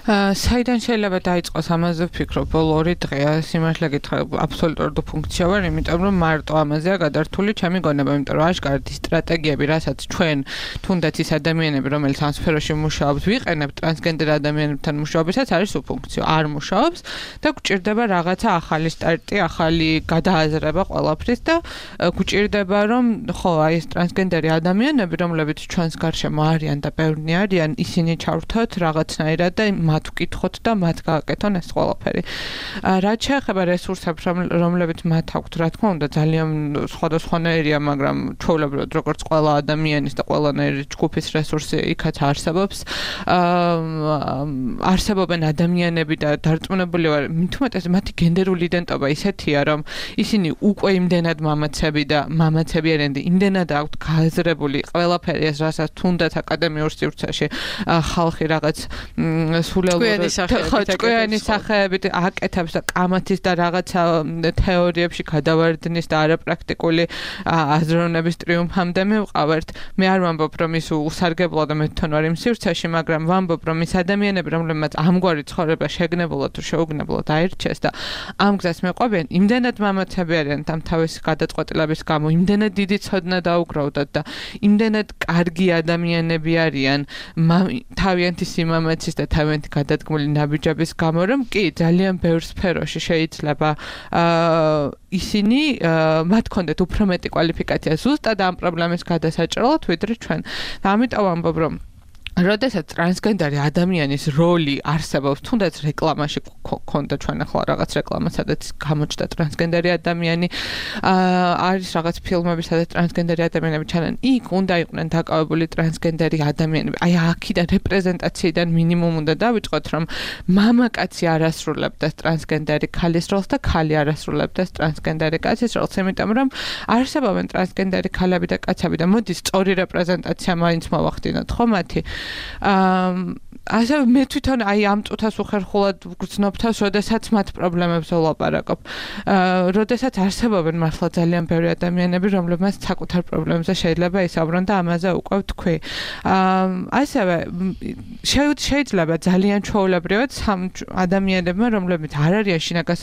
საიდან შეიძლება დაიწყოს ამაზე ვფიქრობ, ბოლო 2 დღეა სიმართლე გითხრათ, აბსოლუტურად ფუნქცია ვარ, იმიტომ რომ მარტო ამაზეა გადართული ჩემი გონება, იმიტომ რომ აშკარად ის სტრატეგიები, რასაც ჩვენ თუნდაც ის ადამიანები, რომელიც ამ სფეროში მუშაობს, ვიყენებთ ტრანსგენდერ ადამიანებთან მუშაობისას, არის უფუნქციო, არ მუშაობს და გვჭირდება რაღაცა ახალი სტარტი, ახალი გადააზრება ყველაფრის და გვჭირდება რომ ხო, აი ეს ტრანსგენდერი ადამიანები, რომლებიც ჩვენს გარშემო არიან და ბევრნი არიან, ისინი ჩავრთოთ რაღაცნაირად და მათ ვკითხოთ და მათ გააკეთონ ეს ყველაფერი. რაც შეეხება რესურსებს, რომლებიც მათ აქვთ, რა თქმა უნდა, ძალიან სხვადასხვანაირია, მაგრამ ჩვეულებრივად როგორც ყველა ადამიანის და ყველანაირი ჯგუფის რესურსი იქაც არსებობს. არსებობენ ადამიანები და დარწმუნებული ვარ, მით უმეტეს მათი გენდერული იდენტობა ისეთია, რომ ისინი უკვე იმდენად მამაცები არიან და იმდენად აქვთ გააზრებული ყველაფერი ეს, რასაც თუნდაც აკადემიურ სივრცეში ხალხი რაღაც ჭკვიანი სახეებით აკეთებს და კამათის და რაღაცა თეორიებში გადავარდნის და არაპრაქტიკული აზროვნების ტრიუმფამდე მივყავართ. მე არ ვამბობ, რომ ის უსარგებლოა და მე თვითონ ვარ იმ სივრცეში, მაგრამ ვამბობ, რომ ის ადამიანები, რომლებმაც ამგვარი ცხოვრება შეგნებულად თუ შეუგნებლად აირჩიეს და ამ გზას მეყვებიან, იმდენად მამაცები არიან ამ თავისი გადაწყვეტილების გამო, იმდენად დიდი ცოდნა დაუგროვდათ და იმდენად კარგი ადამიანები არიან თავიანთი სიმამაცის და თავიანთი გადადგმული ნაბიჯების გამო, რომ კი ძალიან ბევრ სფეროში შეიძლება ისინი მათ კონდეთ უფრო მეტი კვალიფიკაცია ზუსტად ამ პრობლემის გადასაჭრელად, ვიდრე ჩვენ. და ამიტომ ამბობ, რომ როდესაც ტრანსგენდერი ადამიანის როლი არსებობს, თუნდაც რეკლამაში ქონდა ჩვენ ახლა რაღაც რეკლამა, სადაც გამოჩნდა ტრანსგენდერი ადამიანი, არის რაღაც ფილმები, სადაც ტრანსგენდერი ადამიანები ჩანან, იქ უნდა იყვნენ დაკავებული ტრანსგენდერი ადამიანები. აი აქიდან რეპრეზენტაციიდან მინიმუმ უნდა დავიწყოთ, რომ მამაკაცი არ ასრულებდეს ტრანსგენდერი ქალის როლს და ქალი არ ასრულებდეს ტრანსგენდერი კაცის როლს, იმიტომ რომ არსებობენ ტრანსგენდერი ქალები და კაცები და მოდის სწორი რეპრეზენტაცია მაინც მოვახდინოთ, ხო მათი? ასე მე თვითონ აი ამ წუთას უხერხულად ვგრძნობ თავს, როდესაც მათ პრობლემებს ვლაპარაკობ. როდესაც არსებობენ მართლა ძალიან ბევრი ადამიანები, რომლებმაც საკუთარ პრობლემებზე შეიძლება ისაუბრონ და ამაზე უკვე ვთქვი. ასევე შეიძლება ძალიან ჩვეულებრივად ადამიანებმა, რომლებიც არ არიან შინაგან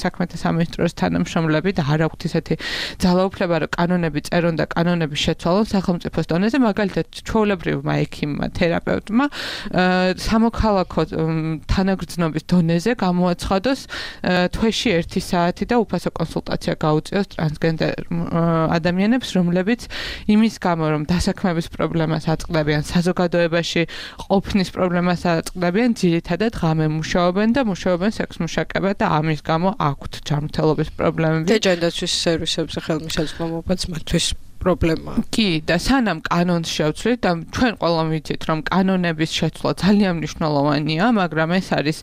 საქმეთა სამინისტროს თანამშრომლები და არ აქვთ ისეთი ძალაუფლება, რომ კანონები წერონ და კანონები შეცვალონ სახელმწიფოს დონეზე, მაგალითად ჩვეულებრივმა ექიმმა, თერაპევტმა სამოქალაქო თანაგრძნობის დონეზე გამოაცხადოს თვეში 1 საათი და უფასო კონსულტაცია გაუწიოს ტრანსგენდერ ადამიანებს, რომლებიც იმის გამო, რომ დასაქმების პრობლემას აწყდებიან, საზოგადოებაში ყოფნის პრობლემას აწყდებიან, ძირითადად ღამე მუშაობენ და მუშაობენ სექსმუშაკებად და ამის გამო აქვთ ჯანმრთელობის პრობლემები. და ჯანდაცვის სერვისებზე ხელმისაწვდომობაც მათთვის პრობლემაა. კი, და სანამ კანონს შევცვლით და ჩვენ ყველამ ვიცით, რომ კანონების შეცვლა ძალიან მნიშვნელოვანია, მაგრამ ეს არის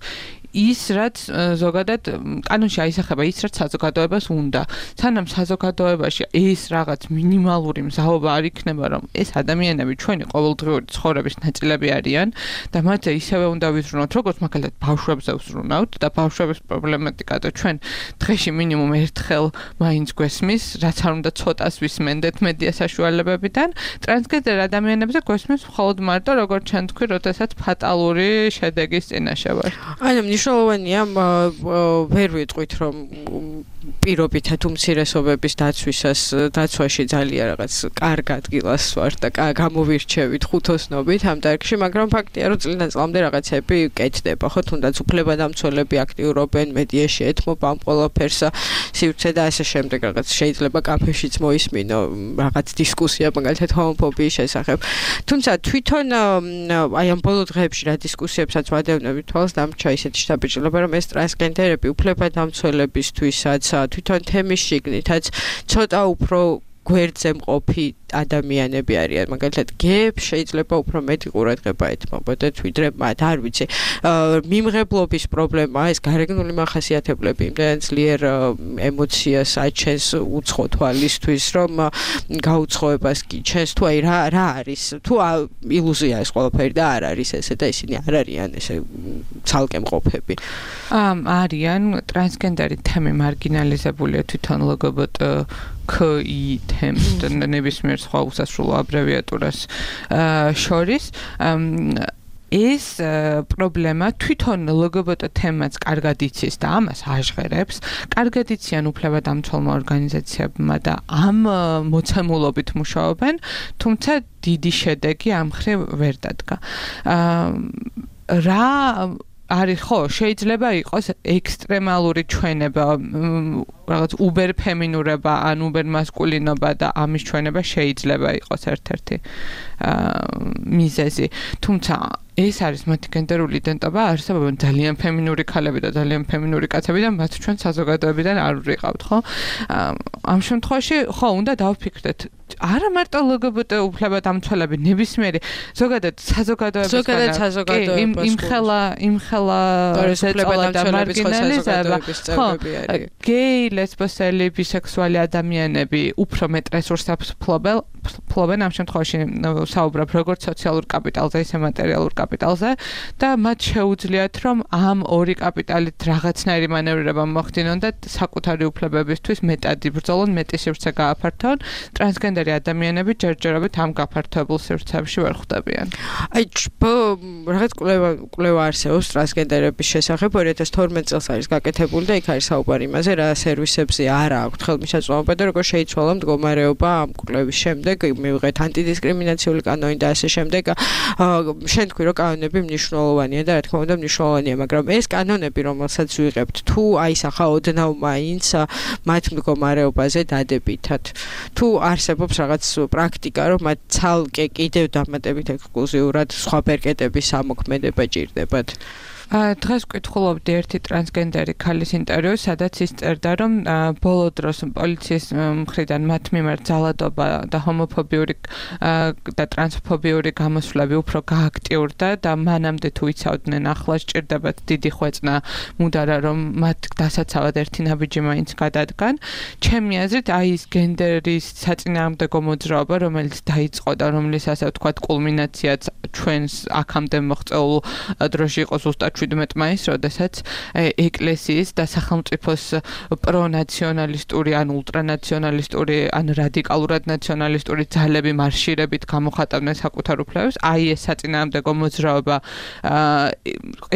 ის რაც ზოგადად კანონში აისახება ის რაც საზოგადოებას უნდა. სანამ საზოგადოებაში ეს რაღაც მინიმალური მზაობა არ იქნება, რომ ეს ადამიანები ჩვენი ყოველდღიური ცხოვრების ნაწილები არიან და მათ ისევე უნდა ვიზრუნოთ, როგორც მაგალითად ბავშვებზე ვზრუნავთ და ბავშვების პრობლემატიკა და ჩვენ დღეში მინიმუმ ერთხელ მაინც გვესმის, რაც არ უნდა ცოტას ვისმენდეთ მედია საშუალებებიდან, ტრანსგენდერ ადამიანებზე გვესმის მხოლოდ მარტო როგორც ჩვენ თქვი, როდესაც ფატალური შედეგის წინაშე ვარ. ანუ მნიშვნელოვანია ვერ ვიტყვით რომ პირობითად უმცირესობების დაცვაში ძალიან რაღაც კარგ ადგილას ვარ და გამოვირჩევით ხუთოსნობით ამ დარგში, მაგრამ ფაქტია რომ წლიდან-წლამდე რაღაცები კეთდება, ხო, თუნდაც უფლებადამცველები აქტიურობენ მედიაში ეთმობა ამ ყველაფერს, სივრცე და ასე შემდეგ რაღაც შეიძლება კაფეშიც მოისმინო რაღაც დისკუსია მაგალითად ჰომოფობიის შესახებ. თუმცა თვითონ აი ამ ბოლო დღეებში რა დისკუსიებსაც ვადევნებით თვალს დამრჩა ისეთი შთაბეჭდილება, რომ ეს ტრანსგენდერები უფლებადამცველებისთვისაც თვითონ თემის შიგნითაც ცოტა უფრო გვერდზე მყოფი ადამიანები არიან, მაგალითად გეებს შეიძლება უფრო მეტი ყურადღება ეთმობოდეთ ვიდრე მათ, არ ვიცი. მიმღებლობის პრობლემა, ეს გარეგნული მახასიათებლები იმდენად ძლიერ ემოციას აჩენს უცხო თვალისთვის, რომ გაუცხოებას გიჩენს, თუ აი რა არის, თუ ილუზია ეს ყველაფერი და არ არის ესე და ისინი არ არიან ესე ცალკე მყოფები. არიან ტრანსგენდერი თემი მარგინალიზებულია თვითონ LGBTQI თემს და ნებისმიერ სხვა უსასრულო აბრევიატურას შორის ეს პრობლემა თვითონ LGBT თემაც კარგად იცის და ამას აჟღერებს. კარგად იციან უფლებადამცველმა ორგანიზაციებმა და ამ მოცემულობით მუშაობენ, თუმცა დიდი შედეგი ამ მხრივ ვერ დადგა. რა არის ხო, შეიძლება იყოს ექსტრემალური ჩვენება, რაღაც უბერ ფემინურობა ან უბერ მასკულინობა და ამის ჩვენება შეიძლება იყოს ერთ-ერთი მიზეზი. თუმცა ეს არის მათი გენდერული იდენტობა, არსებობენ ძალიან ფემინური ქალები და ძალიან ფემინური კაცები და მათ ჩვენ საზოგადოებიდან არ ვიყავთ, ხო? ამ შემთხვევაში ხო უნდა დავფიქრდეთ არა მარტო LGBT უფლებადამცველები, ნებისმიერი ზოგადად საზოგადოებისგან იმხელა ზეწოლა და მარგინალიზება, ხო, გეი, ლესბოსელი, ბისექსუალი ადამიანები უფრო მეტ რესურსებს ფლობენ ამ შემთხვევაში საუბრობ როგორც სოციალურ კაპიტალზე, ისე მატერიალურ კაპიტალზე და მათ შეუძლიათ რომ ამ ორი კაპიტალით რაღაცნაირი მანევრირება მოხდინონ და საკუთარი უფლებებისთვის მეტად იბრძოლონ, მეტი სივრცე გააფართონ. ტრანსგენდერი ადამიანები ჯერჯერობით ამ გაფართოებულ სივრცეებში ვერ ხვდებიან. აი რაღაც კვლევა არსებობს ტრანსგენდერების შესახებ 2012 წელს არის გაკეთებული და იქ არის საუბარი იმაზე რა სერვისებზე არ აქვს ხელმისაწვდომობა და როგორ შეიცვალა მდგომარეობა ამ კვლევის შემდეგ მივიღეთ ანტიდისკრიმინაციული კანონი და ასე შემდეგ. შენ თქვი რომ კანონები მნიშვნელოვანია და რა თქმა უნდა მნიშვნელოვანია, მაგრამ ეს კანონები რომელსაც ვიღებთ თუ აისახა ოდნავ მაინც მათ მდგომარეობაზე დადებითად. თუ არსებობს რაღაც პრაქტიკა რომ მათ ცალკე კიდევ დამატებით ექსკლუზიურად სხვა ბერკეტების ამოქმედება ჭირდებათ. დღეს ვკითხულობდი ერთი ტრანსგენდერი ქალის ინტერვიუს, სადაც ის წერდა, რომ ბოლო დროს პოლიციის მხრიდან მათ მიმართ ძალადობა და ჰომოფობიური და ტრანსფობიური გამოსვლები უფრო გააქტიურდა და მანამდე თუ იცავდნენ ახლა სჭირდებათ დიდი ხვეწნა მუდარა, რომ მათ დასაცავად ერთი ნაბიჯი მაინც გადადგან. ჩემი აზრით, აი ეს გენდერის საწინააღმდეგო მოძრაობა, რომელიც დაიწყო და რომლის ასე ვთქვათ კულმინაციაც ჩვენს აქამდე მოღწეულ დროში იყო ზუსტად 17 მაისს, როდესაც ეკლესიის და სახელმწიფოს პრონაციონალისტური ან ულტრანაციონალისტური ან რადიკალურად ნაციონალისტური ძალები მარშირებით გამოხატავდნენ საკუთარ უფლებებს. აი ეს საწინააღმდეგო მოძრაობა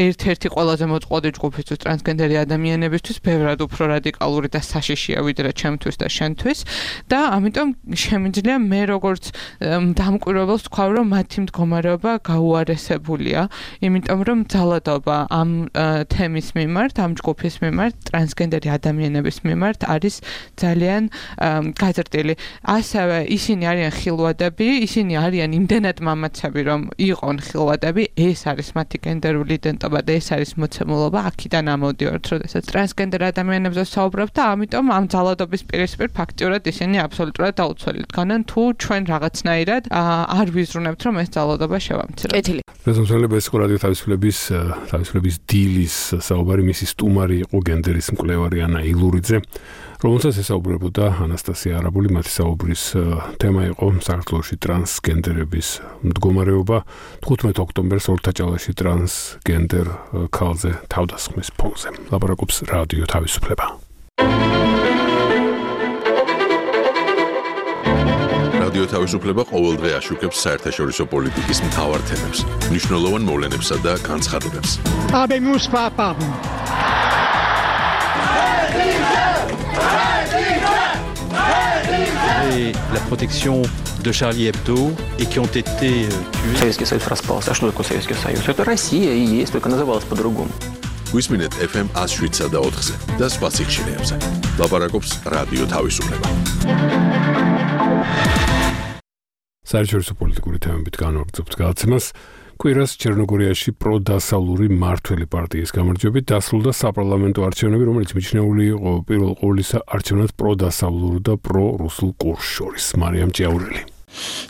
ერთ-ერთი ყველაზე მოწყვლადი ჯგუფისთვის ტრანსგენდერი ადამიანებისთვის ბევრად უფრო რადიკალური და საშიშია ვიდრე ჩემთვის და შენთვის და ამიტომ შემიძლია მე როგორც დამკვირვებელს თქვა, რომ მათი მდგომარეობა გაუარესებულია, იმიტომ რომ ძალადობა ამ თემის მიმართ, ამ ჯგუფის მიმართ, ტრანსგენდერი ადამიანების მიმართ არის ძალიან გაზრდილი. ასევე ისინი არიან ხილვადები, ისინი არიან იმდენად მამაცები, რომ იყვნენ ხილვადები, ეს არის მათი გენდერული იდენტობა და ეს არის მოცემულობა, აქედან ამოდივართ, როდესაც ტრანსგენდერ ადამიანებზე საუბრობ და ამიტომ ამ ძალადობის პირისპირ ფაქტიურად ისინი აბსოლუტურად დაუცველად დგანან, თუ ჩვენ რაღაცნაირად არ ვიზრუნებთ, რომ ეს ძალადობა შევამციროთ. რეზონანსები ეს ყურადღება თავისუფლების თავისუფლების დილის საუბარი მისი სტუმარი იყო გენდერის მკვლევარი ანა ილურიძე, რომელსაც ესაუბრებოდა ანასტასია არაბული. მათი საუბრის თემა იყო საქართველოში ტრანსგენდერების მდგომარეობა. 15 ოქტომბერს ორთაჭალაში ტრანსგენდერ ქალზე თავდასხმის ფონზე. ლაპარაკობს რადიო თავისუფლება. რადიო თავისუფლება ყოველდღე აშუქებს საერთაშორისო პოლიტიკის მთავარ თემებს, მნიშვნელოვან მოვლენებსა და განცხადებებს. La protection de Charlie Hebdo et qui ont été tués. Советский Союз распался. А что такое Советский Союз? Это Россия и есть, только называлась по-другому. Გვისმინეთ FM 107-ზე და 4-ზე და სხვა სიხშირეებზე. ლაპარაკობს რადიო თავისუფლება. საერთაშორისო პოლიტიკური თემებით განვაგრძობთ გადაცემას. კვირას ჩერნოგორიაში პროდასავლური მმართველი პარტიის გამარჯვებით დასრულდა საპარლამენტო არჩევნები, რომელიც მიჩნეული იყო პირველ ყოვლისა არჩევნად პროდასავლურ და პრორუსულ კურსს შორის. მარიამ ჭიაურელი.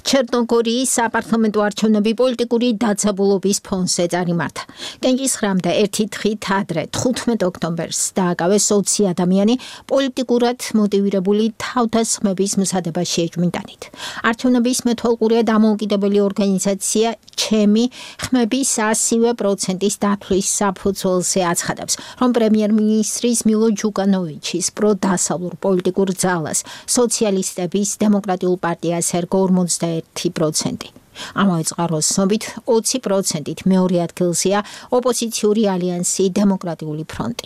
ჩერნოგორიის საპარლამენტო არჩევნები პოლიტიკური დაძაბულობის ფონზე წარიმართა. კენჭისხრამდე ერთი დღით ადრე 15 ოქტომბერს დააკავეს 20 ადამიანი პოლიტიკურად მოტივირებული თავდასხმების მზადებას შეეჭვმიტანით. არჩევნების მეთვალყურე დამოუკიდებელი ორგანიზაცია ჩემი ხმების 100%-ის დათვლის საფუძველზე აცხადებს, რომ პრემიერ-მინისტრის მილო ჯუკანოვიჩის პროდასავლურ პოლიტიკურ ძალას სოციალისტების დემოკრატიულ პარტიას ერგო 41%. ამავე წყაროს ცნობით 20%-ით მეორე ადგილზეა ოპოზიციური ალიანსი დემოკრატიული ფრონტი.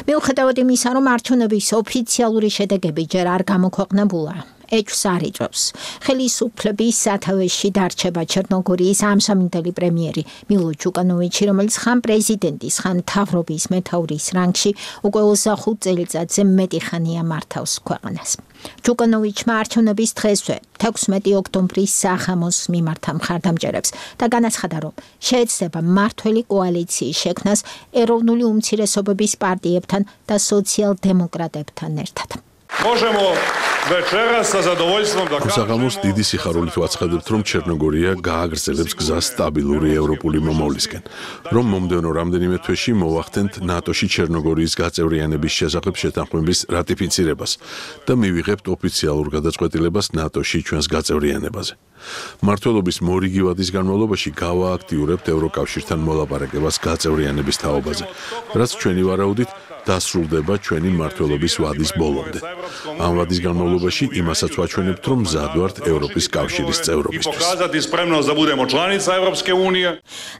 მიუხედავად იმისა, რომ არჩევნების ოფიციალური შედეგები ჯერ არ გამოქვეყნებულა, ეჭვს არ იწვევს. ხელისუფლების სათავეში დარჩება ჩერნოგორიის ამჟამინდელი პრემიერი მილო ჯუკანოვიჩი, რომელიც ხან პრეზიდენტის, ხან მთავრობის მეთაურის რანგში უკვე 25 წელიწადზე მეტი ხანია მართავს ქვეყანას. ჯუკანოვიჩმა არჩევნების დღესვე 16 ოქტომბრის საღამოს მიმართა მხარდამჭერებს და განაცხადა, რომ შეეცდება მმართველი კოალიციის შექმნას ეროვნული უმცირესობების პარტიებთან და სოციალ-დემოკრატებთან ერთად. საღამოს დიდი სიხარულით ვაცხადებთ, რომ ჩერნოგორია გააგრძელებს გზას სტაბილური ევროპული მომავლისკენ, რომ მომდევნო რამდენიმე თვეში მოვახდენთ ნატოში ჩერნოგორიის გაწევრიანების შესახებ შეთანხმების რატიფიცირებას და მივიღებთ ოფიციალურ გადაწყვეტილებას ნატოში ჩვენს გაწევრიანებაზე. მმართველობის მორიგი ვადის განმავლობაში გავააქტიურებთ ევროკავშირთან მოლაპარაკებას გაწევრიანების თაობაზე, რაც ჩვენი ვარაუდით დასრულდება ჩვენი მმართველობის ვადის ბოლომდე. ამ ვადის განმავლობაში იმასაც ვაჩვენებთ, რომ მზად ვართ ევროპის კავშირის წევრობისთვის.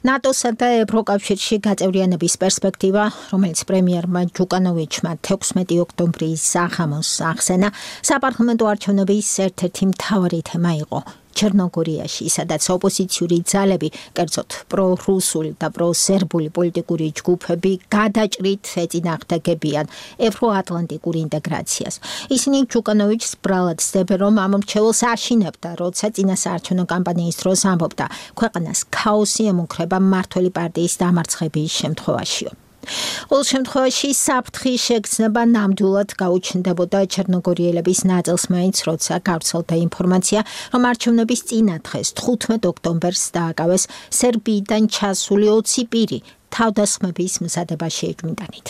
ნატოსა და ევროკავშირში გაწევრიანების პერსპექტივა, რომელიც პრემიერმა ჯუკანოვიჩმა 16 ოქტომბრის საღამოს ახსენა, საპარლამენტო არჩევნების ერთ-ერთი მთავარი თემა იყო. ჩერნოგორიაში, სადაც ოპოზიციური ძალები, კერძოდ პრორუსული და პროსერბული პოლიტიკური ჯგუფები გადაჭრით ეწინააღმდეგებიან ევროატლანტიკურ ინტეგრაციას. ისინი ჯუკანოვიჩს ბრალად ცდებენ, რომ ამ მრჩეველს აშინებდა, როცა წინასაარჩევნო კამპანიის დროს ამბობდა, ქვეყანას ქაოსი ემუქრება მმართველი პარტიის დამარცხების შემთხვევაშიო. ყოველ შემთხვევაში საფრთხის შეგრძნება ნამდვილად გაუჩნდებოდა ჩერნოგორიელების ნაწილს მაინც, როცა გავრცელდა ინფორმაცია, რომ არჩევნების წინა დღეს 15 ოქტომბერს დააკავეს სერბიიდან ჩასული 20 პირი თავდასხმების მზადებას შეეჭვმიტანით.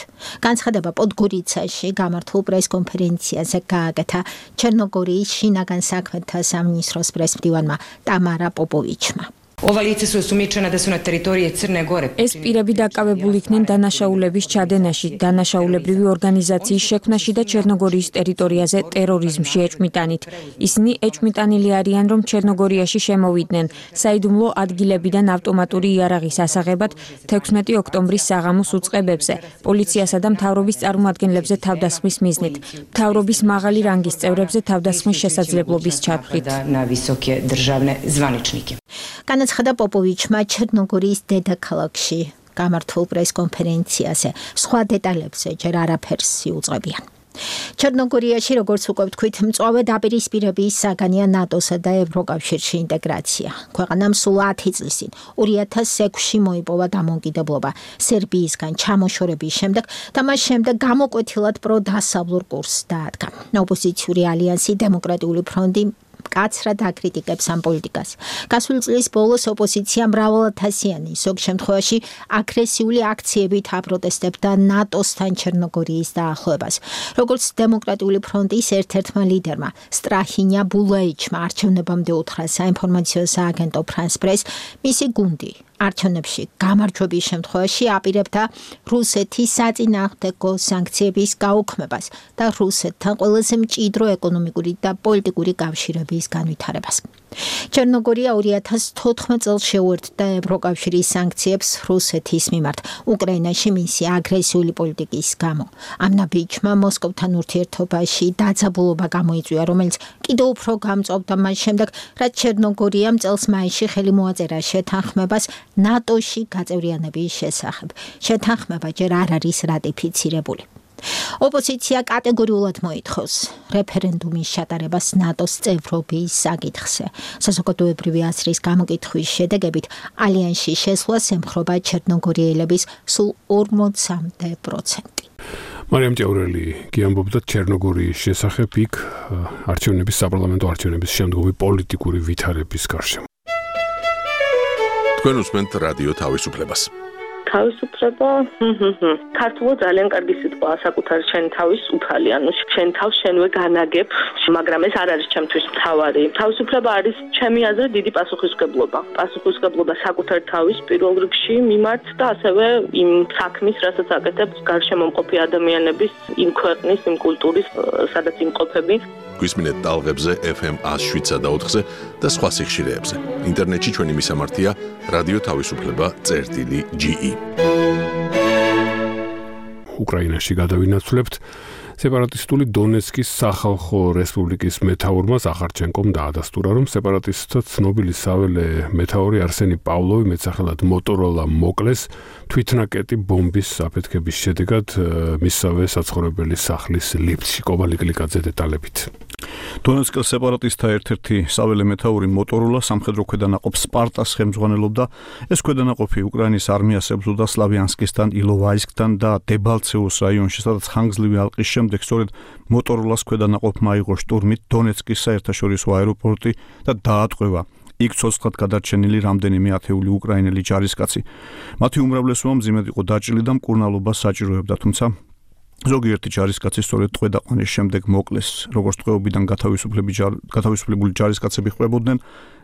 განცხადება პოდგორიცაში გამართულ პრესკონფერენციაზე გააკეთა ჩერნოგორიის შინაგან საქმეთა სამინისტროს პრესმდივანმა ტამარა პოპოვიჩმა. ეს პირები დაკავებული იქნენ დანაშაულების ჩადენაში, დანაშაულებრივი ორგანიზაციის შექმნაში და ჩერნოგორიის ტერიტორიაზე ტერორიზმში ეჭვმიტანით. ისინი ეჭვმიტანილი არიან, რომ ჩერნოგორიაში შემოვიდნენ საიდუმლო ადგილებიდან ავტომატური იარაღის ასაღებად 16 ოქტომბრის საღამოს უწყებებზე, პოლიციასა და მთავრობის წარმომადგენლებზე თავდასხმის მიზნით, მთავრობის მაღალი რანგის წევრებზე თავდასხმის შესაძლებლობის ჩაფრთხით. განაცხადა პოპოვიჩმა ჩერნოგორიის დედაქალაქში გამართულ პრესკონფერენციაზე. სხვა დეტალებზე ჯერ არაფერს იუწყებიან. ჩერნოგორიაში, როგორც უკვე ვთქვით, მწვავე დაპირისპირების საგანია ნატოსა და ევროკავშირში ინტეგრაცია. ქვეყანამ სულ 10 წლის წინ 2006-ში მოიპოვა დამოუკიდებლობა სერბიისგან ჩამოშორების შემდეგ და მას შემდეგ გამოკვეთილად პროდასავლურ კურსს დაადგა. ოპოზიციური ალიანსი დემოკრატიული ფრონტი მკაცრად აკრიტიკებს ამ პოლიტიკას. გასული წლის ბოლოს ოპოზიცია მრავალათასიანი, ზოგ შემთხვევაში აგრესიული აქციებით აპროტესტებდა ნატოსთან ჩერნოგორიის დაახლოებას. როგორც დემოკრატიული ფრონტის ერთ-ერთმა ლიდერმა სტრაჰინია ბულაიჩმა არჩევნებამდე უთხრა საინფორმაციო სააგენტო France Press, მისი გუნდი არჩევნებში გამარჯვების შემთხვევაში აპირებდა რუსეთის საწინააღმდეგო სანქციების გაუქმებას და რუსეთთან ყველაზე მჭიდრო ეკონომიკური და პოლიტიკური კავშირების განვითარებას. ჩერნოგორია 2014 წელს შეუერთდა ევროკავშირის სანქციებს რუსეთის მიმართ უკრაინაში მისი აგრესიული პოლიტიკის გამო. ამ ნაბიჯმა მოსკოვთან ურთიერთობაში დაძაბულობა გამოიწვია, რომელიც კიდევ უფრო გამწვავდა მას შემდეგ, რაც ჩერნოგორიამ წელს მაისში ხელი მოაწერა შეთანხმებას ნატოში გაწევრიანების შესახებ. შეთანხმება ჯერ არ არის რატიფიცირებული. ოპოზიცია კატეგორიულად მოითხოვს რეფერენდუმის ჩატარებას ნატოს წევრობის საკითხზე. საზოგადოებრივი აზრის გამოკითხვის შედეგებით ალიანსში შესვლას ემხრობა ჩერნოგორიელების სულ 40%. მარიამ ჭაურელი გიამბობდა ჩერნოგორიის შესახებ იქ არჩევნების საპარლამენტო არჩევნების შემდგომი პოლიტიკური ვითარების გარშემო. თქვენ უსმენთ რადიო თავისუფლებას. თავისუფლება ქართულად ძალიან კარგი სიტყვაა საკუთარი შენი თავის უფალი, ანუ შენ თავს შენვე განაგებ, მაგრამ ეს არ არის ჩემთვის მთავარი. თავისუფლება არის ჩემი აზრით დიდი პასუხისმგებლობა. პასუხისმგებლობა საკუთარი თავის პირველ რიგში მიმართ და ასევე იმ საქმის, რასაც აკეთებს გარშემო მყოფი ადამიანების, იმ ქვეყნის, იმ კულტურის, სადაც იმყოფები. გვისმინეთ ტალღებზე FM 107.4-ზე და სხვა სიხშირეებზე. ინტერნეტში ჩვენი მისამართია რადიო თავისუფლება.ge. უკრაინაში გადავინაცვლებთ სეპარატისტული დონეცკის სახალხო რესპუბლიკის მეთაურმა ზახარჩენკომ დაადასტურა, რომ სეპარატისტთა ცნობილი საველე მეთაური არსენი პავლოვი მეტსახელად მოტოროლა მოკლეს თვითნაკეტი ბომბის საფეთქების შედეგად მისსავე საცხოვრებელი სახლის ლიფტში. კობალი კლიკაძე დეტალებით. დონეცკის სეპარატისტთა ერთ-ერთი საველე მეთაური მოტოროლა სამხედრო ქვედანაყოფ სპარტას ხელმძღვანელობდა. ეს ქვედანაყოფი უკრაინის არმიას ებრძოდა სლავიანსკისთან, ილოვაისკთან და დებალცევოს რაიონში, სადაც ხანგრძლივი ალყის შემდეგ სწორედ მოტოროლას ქვედანაყოფმა აიღო შტურმით დონეცკის საერთაშორისო აეროპორტი და დაატყვევა იქ ცოცხლად გადარჩენილი რამდენიმე ათეული უკრაინელი ჯარისკაცი. მათი უმრავლესობა მძიმედ იყო დაჭრილი და მკურნალობას საჭიროებდა, თუმცა ზოგიერთი ჯარისკაცი სწორედ ტყვედაყვანის შემდეგ მოკლეს. როგორც ტყვეობიდან გათავისუფლებული ჯარისკაცები ხვდებოდნენ,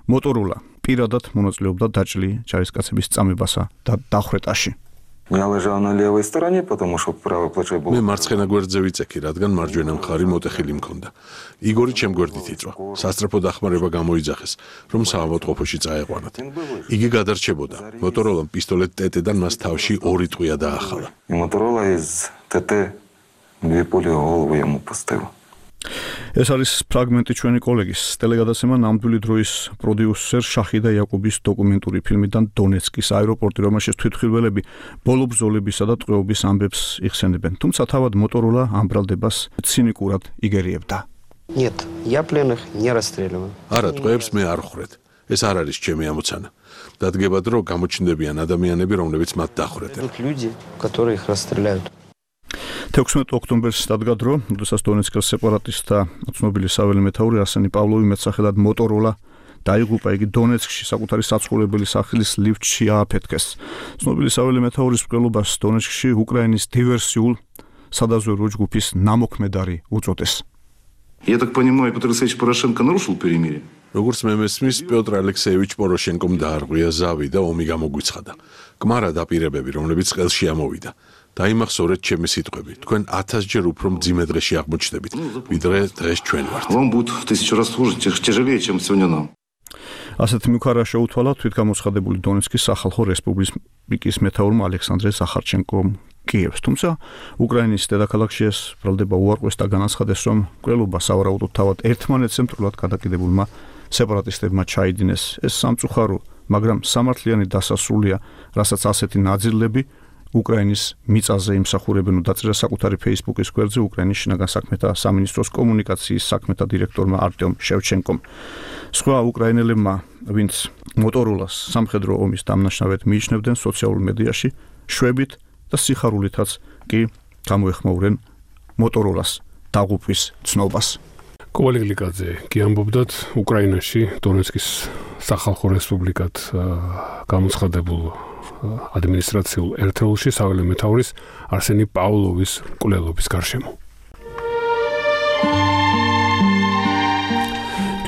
მოტოროლა პირადად მონაწილეობდა დაჭრილი ჯარისკაცების წამებასა და დახვრეტაში. Я лежал на левой стороне, потому что правое плечо было. მე მარცხენა გვერდზე ვიწექი, რადგან მარჯვენა მხარი მოტეხილი მქონდა. იგორი ჩემ გვერდით იწვა. სასწრაფო დახმარება გამოიძახეს, რომ საავადმყოფოში წაეყვანათ. იგი გადარჩებოდა. მოტოროლამ პისტოლეტ ТТ-დან მას თავში ორი ტყვია დაახალა. Моторола из ТТ две пули в голову ему поставил. ეს არის ფრაგმენტი ჩვენი კოლეგის ტელეგადაცემა ნამდვილი დროის პროდიუსერ შახიდა იაკუბის დოკუმენტური ფილმიდან დონეცკის აეროპორტი, რომელშიც თვითმხილველები ბოლო ბრძოლებისა და ტყვეობის ამბებს იხსენებენ. თუმცა თავად მოტოროლა ამ ბრალდებას ცინიკურად იგერიებდა. Нет, я пленных не расстреливаю. არა, ტყვეებს მე არ ხვრეთ. ეს არ არის ჩემი ამოცანა. დადგებად, რომ გამოჩნდებიან ადამიანები, რომლებიც მათ დახვრეტენ. Люди, которые их расстреляют. 16 ოქტომბერს დადგა დრო, როდესაც დონეცკის სეპარატისტთა ცნობილი საველე მეთაური არსენი პავლოვი მეტსახელად მოტოროლა დაიღუპა. იგი დონეცკში საკუთარი საცხოვრებელი სახლის ლიფტში ააფეთქეს. ცნობილი საველე მეთაურის მკვლელობას დონეცკში უკრაინის დივერსიულ სადაზვერვო ჯგუფის ნამოქმედარი უწოდეს. Я так понимаю, Петр Алексеевич Порошенко нарушил перемирие? როგორც მე მესმის, პიოტრ ალექსეევიჩ პოროშენკომ დაარღვია ზავი და ომი გამოგვიცხადა. კმარა დაპირებები, რომლებიც ყელში ამოვიდა. დაიმახსოვრეთ ჩემი სიტყვები. თქვენ 1000-ჯერ უფრო მძიმე დღეში აღმოჩნდებით, ვიდრე დღეს ჩვენ ვართ. Вам будет в 1000 раз хуже, тяжелее, чем сегодня нам. ასეთ მუქარა შეუთვალა თვითგამოცხადებული დონეცკის სახალხო რესპუბლიკის მეთაურმა ალექსანდრე ზახარჩენკომ კიევს. თუმცა უკრაინის დედაქალაქში ეს ბრალდება უარყვეს და განაცხადეს, რომ მკვლელობა სავარაუდოდ თავად ერთმანეთს ემტრულად გადაკიდებულმა სეპარატისტებმა ჩაიდინეს. ეს სამწუხარო, მაგრამ სამართლიანი დასასრულია, რასაც ასეთი ნაძილები უკრაინის მიწაზე იმსახურებენ. დაწერა საკუთარი Facebook-ის გვერდზე უკრაინის შინაგან საქმეთა სამინისტროს კომუნიკაციის საქმეთა დირექტორმა არტემ შევჩენკომ. სხვა უკრაინელებმა, ვინც მოტოროლას სამხედრო ომის დამნაშავედ მიიჩნევდნენ სოციალურ მედიაში, შვებით და სიხარულითაც კი გამოეხმაურენ მოტოროლას დაღუპვის ცნობას. კოვალი გლიკაძე კი ამბობდათ უკრაინაში დონეცკის სახალხო რესპუბლიკად გამოცხადებულ ადმინისტრაციულ ერთეულში საველე მეთაურის არსენი პავლოვის მკვლელობის გარშემო.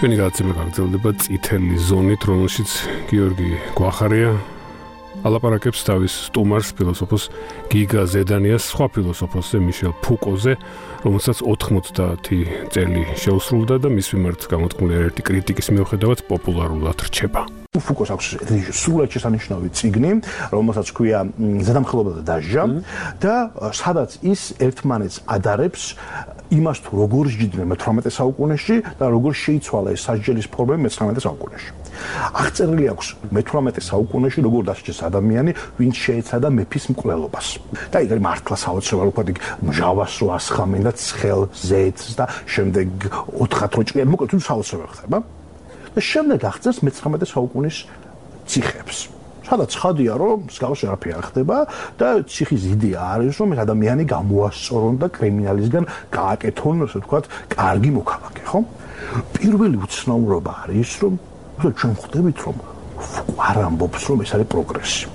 ჩვენი გადაცემა გაგრძელდება წითელი ზონით, რომელშიც გიორგი გვახარია ალაპარაკებს თავის სტუმარს, ფილოსოფოს გიგა ზედანიას, სხვა ფილოსოფოსზე მიშელ ფუკოზე, რომელსაც 90 წელი შეუსრულდა და მის მიმართ გამოთქმული ერთი კრიტიკის მიუხედავად პოპულარულად რჩება. ფუკოს აქვს სრულად შესანიშნავი წიგნი, რომელსაც ქვია ზედამხედველობა და დასჯა და სადაც ის ერთმანეთს ადარებს იმას თუ როგორ ჯიდნენ მე-18 საუკუნეში და როგორ შეიცვალა ეს სასჯელის ფორმები მე-19 საუკუნეში. აღწერილი აქვს მე-18 საუკუნეში როგორ დასჯეს ადამიანი, ვინც შეეცადა მეფის მკვლელობას. და იქ მართლა საოცრებად ვთქვათ, იქ მჟავას რო ასხამენ და ცხელ ზეთს და შემდეგ 4 როჭყიან, მოკლედ თუ საოცრებად ხდება. და შემდეგ აღწერს მე-19 საუკუნის ციხეებს. სადაც ხადია რომ მსგავსი არაფერი არ ხდება და ციხის იდეა არის რომ ადამიანი გამოასწორონ და კრიმინალისგან გააკეთონ, ასე ვთქვათ, კარგი მოქალაქე, ხო? პირველი უცნაურობა არის რომ ჩვენ ხვდებით რომ არ ამბობს რომ ეს არის პროგრესი.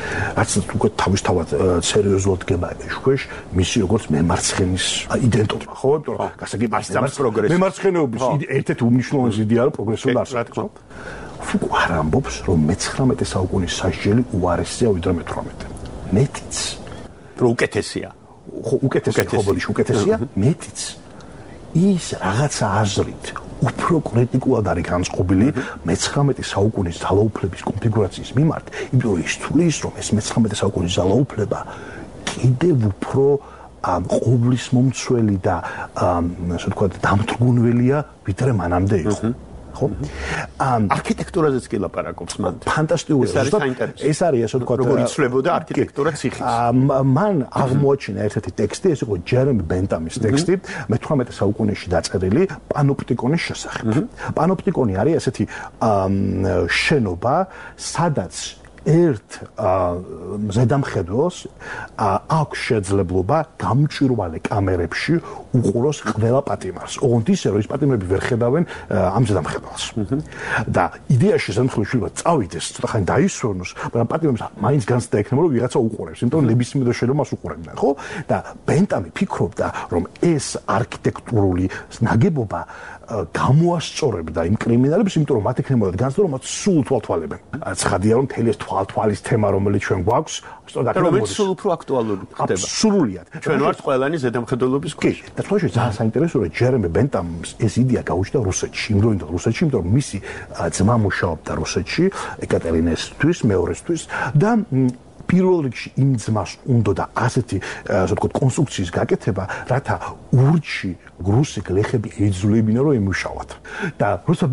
რაც უკვე თავისთავად სერიოზულად გება ეშქვეშ მისი როგორც მემარცხენის იდენტობა, ხო? იმიტომ რომ გასაგები მემარცხენეობის ერთ-ერთი უმნიშვნელოვანესი იდეა რომ პროგრესულად არსებობს. ფუკო არ ამბობს რომ მე-19 საუკუნის სასჯელი უარესია ვიდრე მე-18. მეტიც რომ უკეთესია. ხო, უკეთესია, მეტიც ის რაღაცა აზრით უფრო კრიტიკულად არის განწყობილი მე-19 საუკუნის ძალაუფლების კონფიგურაციის მიმართ, იმიტომ რომ ის თulis რომ ეს მე-19 საუკუნის ძალაუფლება კიდევ უფრო ყოვლის მომცველი და ასე ვთქვათ დამთრგუნველია ვიდრე მანამდე იყო. ხო? არქიტექტურაზეც კი ლაპარაკობს მან. ფანტასტიკური. ეს არის ასე ვთქვათ, როგორ იცვლებოდა არქიტექტურა ციხის. მან აღმოაჩინა ერთ-ერთი ტექსტი, ეს იყო ჯერემი ბენტამის ტექსტი, მე-18 საუკუნეში დაწერილი პანოპტიკონის შესახებ. პანოპტიკონი არის ასეთი შენობა, სადაც ერთ ზედამხედველს აქვს შეძლებლობა გამჭვირვალე კამერებში უყუროს ყველა პატიმარს. ოღონდ ისე რომ ის პატიმრები ვერ ხედავენ ამ ზედამხედველს. და იდეაში ზედამხედველი შეიძლება წავიდეს, ცოტა ხანი დაისვენოს, მაგრამ პატიმრებს მაინც განცდა ექნება რომ ვიღაცა უყურებს, იმიტომ რომ ნებისმიერ შენობას მას უყურებდნენ, ხო? და ბენტამი ფიქრობდა, რომ ეს არქიტექტურული ნაგებობა გამოასწორებდა იმ კრიმინალებს, იმიტომ რომ მათ ექნებოდათ განცდა, რომ მათ სულ თვალთვალებენ. ცხადია რომ მთელი ეს თვალთვალის თემა, რომელიც ჩვენ გვაქვს, რომელიც სულ უფრო აქტუალური ხდება. სრულიად. ჩვენ ვართ ყველანი ზედამხედველობის ქვეშ. და თქოში ძალიან საინტერესოა, რომ ჯერემი ბენტამს ეს იდეა გაუჩნდა რუსეთში, იმდროინდელ რუსეთში, იმიტომ რომ მისი ძმა მუშაობდა რუსეთში, ეკატერინესთვის, მეორესთვის და პირველ რიგში იმ ძმას უნდა და ასეთი ასე ვთქვათ კონსტრუქციის გაკეთება, რათა ურჩი რუსი გლეხები ეძვლებინა რომ ემუშავათ. და როცა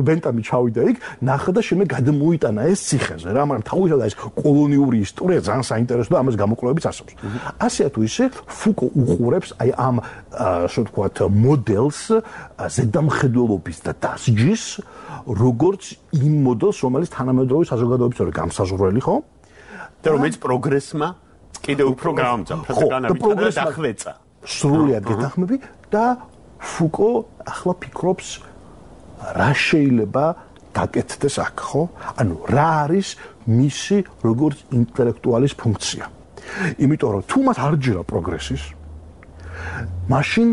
ბენტამი ჩავიდა იქ, ნახა და შემდეგ გადმოიტანა ეს ციხეზე რა, მაგრამ თავისთავად ეს კოლონიური ისტორია ძალიან საინტერესოა და ამას გამოკვლევებიც არსებობს. ასე თუ ისე ფუკო უყურებს აი ამ ასე ვთქვათ მოდელს ზედამხედველობის და დასჯის, როგორც იმ მოდელს, რომელიც თანამედროვე საზოგადოების არის გამსაზღვრელი, ხო? და რომელიც პროგრესმა კიდევ უფრო გაამძაფრა და განავითარა და დახვეწა. სრულიად გეთანხმები და ფუკო ახლა ფიქრობს რა შეიძლება გაკეთდეს აქ, ხო? ანუ რა არის მისი როგორც ინტელექტუალის ფუნქცია. იმიტომ რომ თუ მას არ ჯერა პროგრესის, მაშინ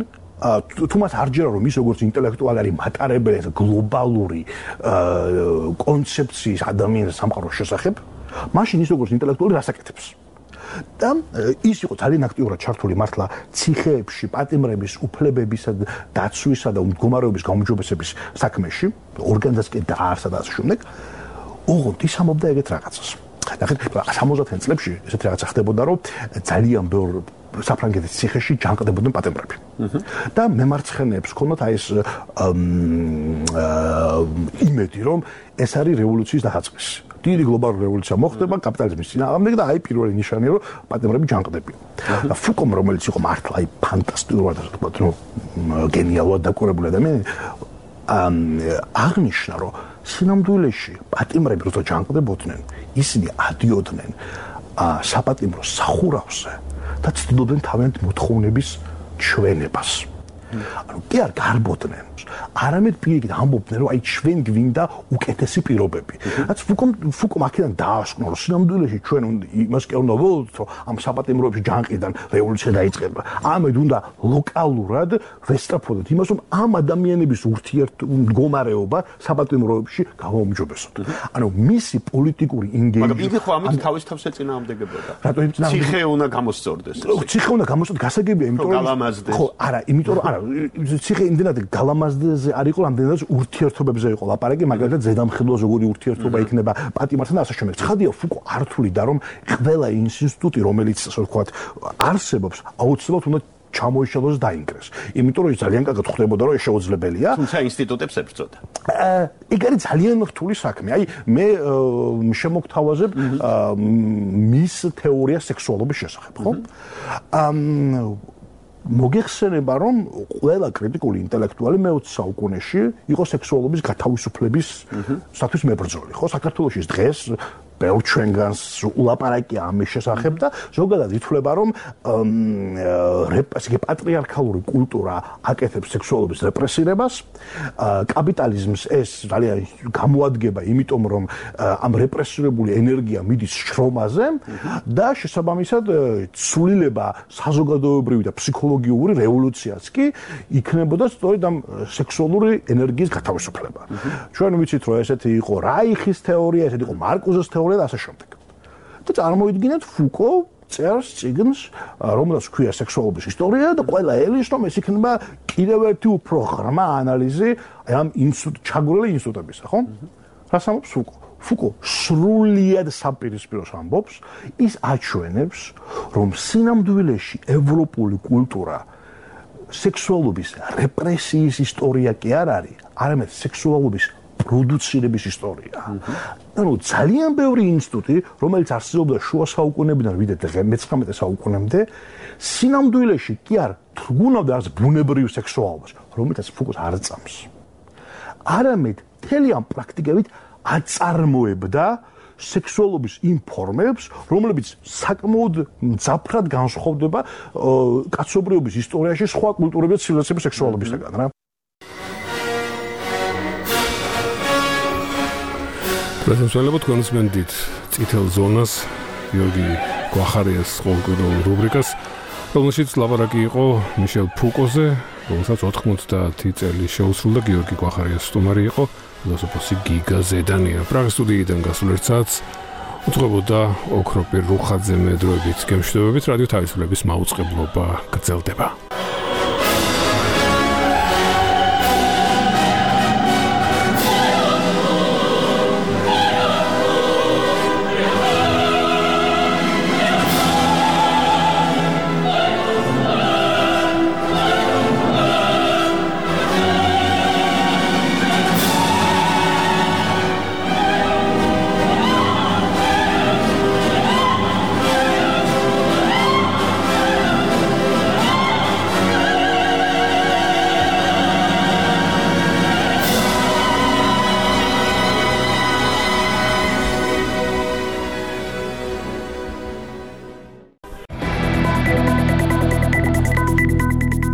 თუ მას არ ჯერა რომ ის როგორც ინტელექტუალი არის მატარებელი გლობალური კონცეფციის ადამიანის სამყაროს შესახებ, მაშინ ის როგორც ინტელექტუალი რას აკეთებს? და ის იყო ძალიან აქტიურად ჩართული მართლა ციხეებში პატიმრების უფლებებისა და დაცვისა და მდგომარეობის გაუმჯობესების საქმეში, ორგანიზაცია დაარსა და ასე შემდეგ. ოღონდ ის ამობდა ეგეთ რაღაცას. ნახეთ, 70-იან წლებში ესეთი რაღაცა ხდებოდა, რომ ძალიან ბევრ საფრანგეთის ციხეში ჯანყდებოდნენ პატიმრები. და მემარცხენეებს ჰქონდათ აი ეს იმედი, რომ ეს არის რევოლუციის დასაწყისი. დიდი გლობალური რევოლუცია მოხდება კაპიტალიზმის წინააღმდეგ და აი პირველი ნიშანია რომ პატიმრები ჯანყდებიან. და ფუკომ რომელიც იყო მართლა აი ფანტასტიკურად ასე ვთქვათ, რომ გენიალურად დაკვირვებული ადამიანი აღნიშნა რომ სინამდვილეში პატიმრები როცა ჯანყდებოდნენ, ისინი ადიოდნენ საპატიმრო სახურავზე და ცდილობდნენ თავიანთი მოთხოვნების ჩვენებას. ანუ კი არ გარბოდნენ. არამედ პირიქით ამბობდნენ, რომ აი ჩვენ გვინდა უკეთესი პირობები. რაც ფუკომ აქედან დაასკვნა, რომ სინამდვილეში ჩვენ იმას კი უნდა ველოდოთ, რომ ამ საპატიმროებში ჯანყიდან რევოლუცია დაიწყება. ამედ უნდა ლოკალურად ვესწრაფოდოთ იმას, რომ ამ ადამიანების ურთიერთმდგომარეობა საპატიმროებში გავაუმჯობესოთ. ანუ მისი პოლიტიკური ინგეიჯმენტი. მაგრამ იგი ხო ამით თავის თავს ეწინააღმდეგებოდა. რატო ეწინააღმდეგებოდა? ციხე უნდა გამოსწორდეს. ციხე უნდა გამოსწორდეს, გასაგებია, იმიტომ რომ გალამაზდეს. ხო, არა, იმიტომ რომ არა, ციხე იმდენად გალამაზდაზე არ იყო, რამდენადაც ურთიერთობებზე იყო ლაპარაკი, მაგალითად ზედამხედველს როგორი ურთიერთობა იქნება პატიმართან და ასე შემდეგ. ცხადია, ფუკო არ თვლიდა, რომ ყველა ინსტიტუტი, რომელიც ასე ვთქვათ, არსებობს, აუცილებლად უნდა ჩამოიშალოს და დაინგრეს. იმიტომ რომ ის ძალიან კარგად ხვდებოდა, რომ ეს შეუძლებელია. თუმცა ინსტიტუტებს ებრძოდა. ეგ არის ძალიან რთული საქმე. აი, მე შემოგთავაზებ მის თეორიას სექსუალობის შესახებ, ხო? მოგეხსენება, რომ ყველა კრიტიკული ინტელექტუალი მე-20 საუკუნეში იყო სექსუალობის გათავისუფლების სათვის მებრძოლი, ხო? საქართველოში დღეს ბევრ ჩვენგანს ულაპარაკია ამის შესახებ და ზოგადად ითვლება, რომ პატრიარქალური კულტურა აკეთებს სექსუალობის რეპრესირებას, კაპიტალიზმს ეს ძალიან გამოადგება, იმიტომ რომ ამ რეპრესირებული ენერგია მიდის შრომაზე და შესაბამისად ცვლილება საზოგადოებრივი და ფსიქოლოგიური რევოლუციაც კი იქნებოდა სწორედ ამ სექსუალური ენერგიის გათავისუფლება. ჩვენ ვიცით, რომ ესეთი იყო რაიხის თეორია, ესეთი იყო მარკუზეს თეორია და ასე შემდეგ. და წარმოიდგინეთ ფუკო წერს წიგნს, რომელსაც ჰქვია სექსუალობის ისტორია და ყველა ელის რომ ეს იქნება კიდევ ერთი უფრო ღრმა ანალიზი ამ ჩაგვრელი ინსტიტუტებისა, ხო? რას ამბობს ფუკო? ფუკო სრულიად საპირისპიროს ამბობს, ის აჩვენებს, რომ სინამდვილეში ევროპული კულტურა სექსუალობის რეპრესიის ისტორია კი არ არის, არამედ სექსუალობის პროდუცირების ისტორია. ანუ ძალიან ბევრი ინსტიტუტი, რომელიც არსებობდა შუა საუკუნეებიდან ვიდრე მე-19 საუკუნემდე, სინამდვილეში კი არ თრგუნავდა არც ბუნებრივ სექსუალობას, რომელსაც ფუკოს არ წამს. არამედ მთელი ამ პრაქტიკებით აწარმოებდა სექსუალობის იმ ფორმებს, რომლებიც საკმაოდ მძაფრად განსხვავდება კაცობრიობის ისტორიაში სხვა კულტურების და ცივილიზაციების სექსუალობისგან, რა. პრეზენტაციალებად კონსმენდით წითელ ზონას გიორგი გვახარიას ყოველკვირეულ რუბრიკას, რომელშიც ლაპარაკი იყო მიშელ ფუკოზე, რომელსაც 90 წელი შეუსრულდა. გიორგი გვახარიას სტუმარი იყო ფილოსოფოსი გიგა ზედანია. პრაღის სტუდიიდან გასულ ერთ საათს უძღვებოდა ოქროპირ რუხაძე მე დროებით გემშვიდობებით. რადიო თავისუფლების მაუწყებლობა გრძელდება.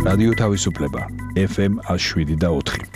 რადიო თავისუფლება FM 107 და 4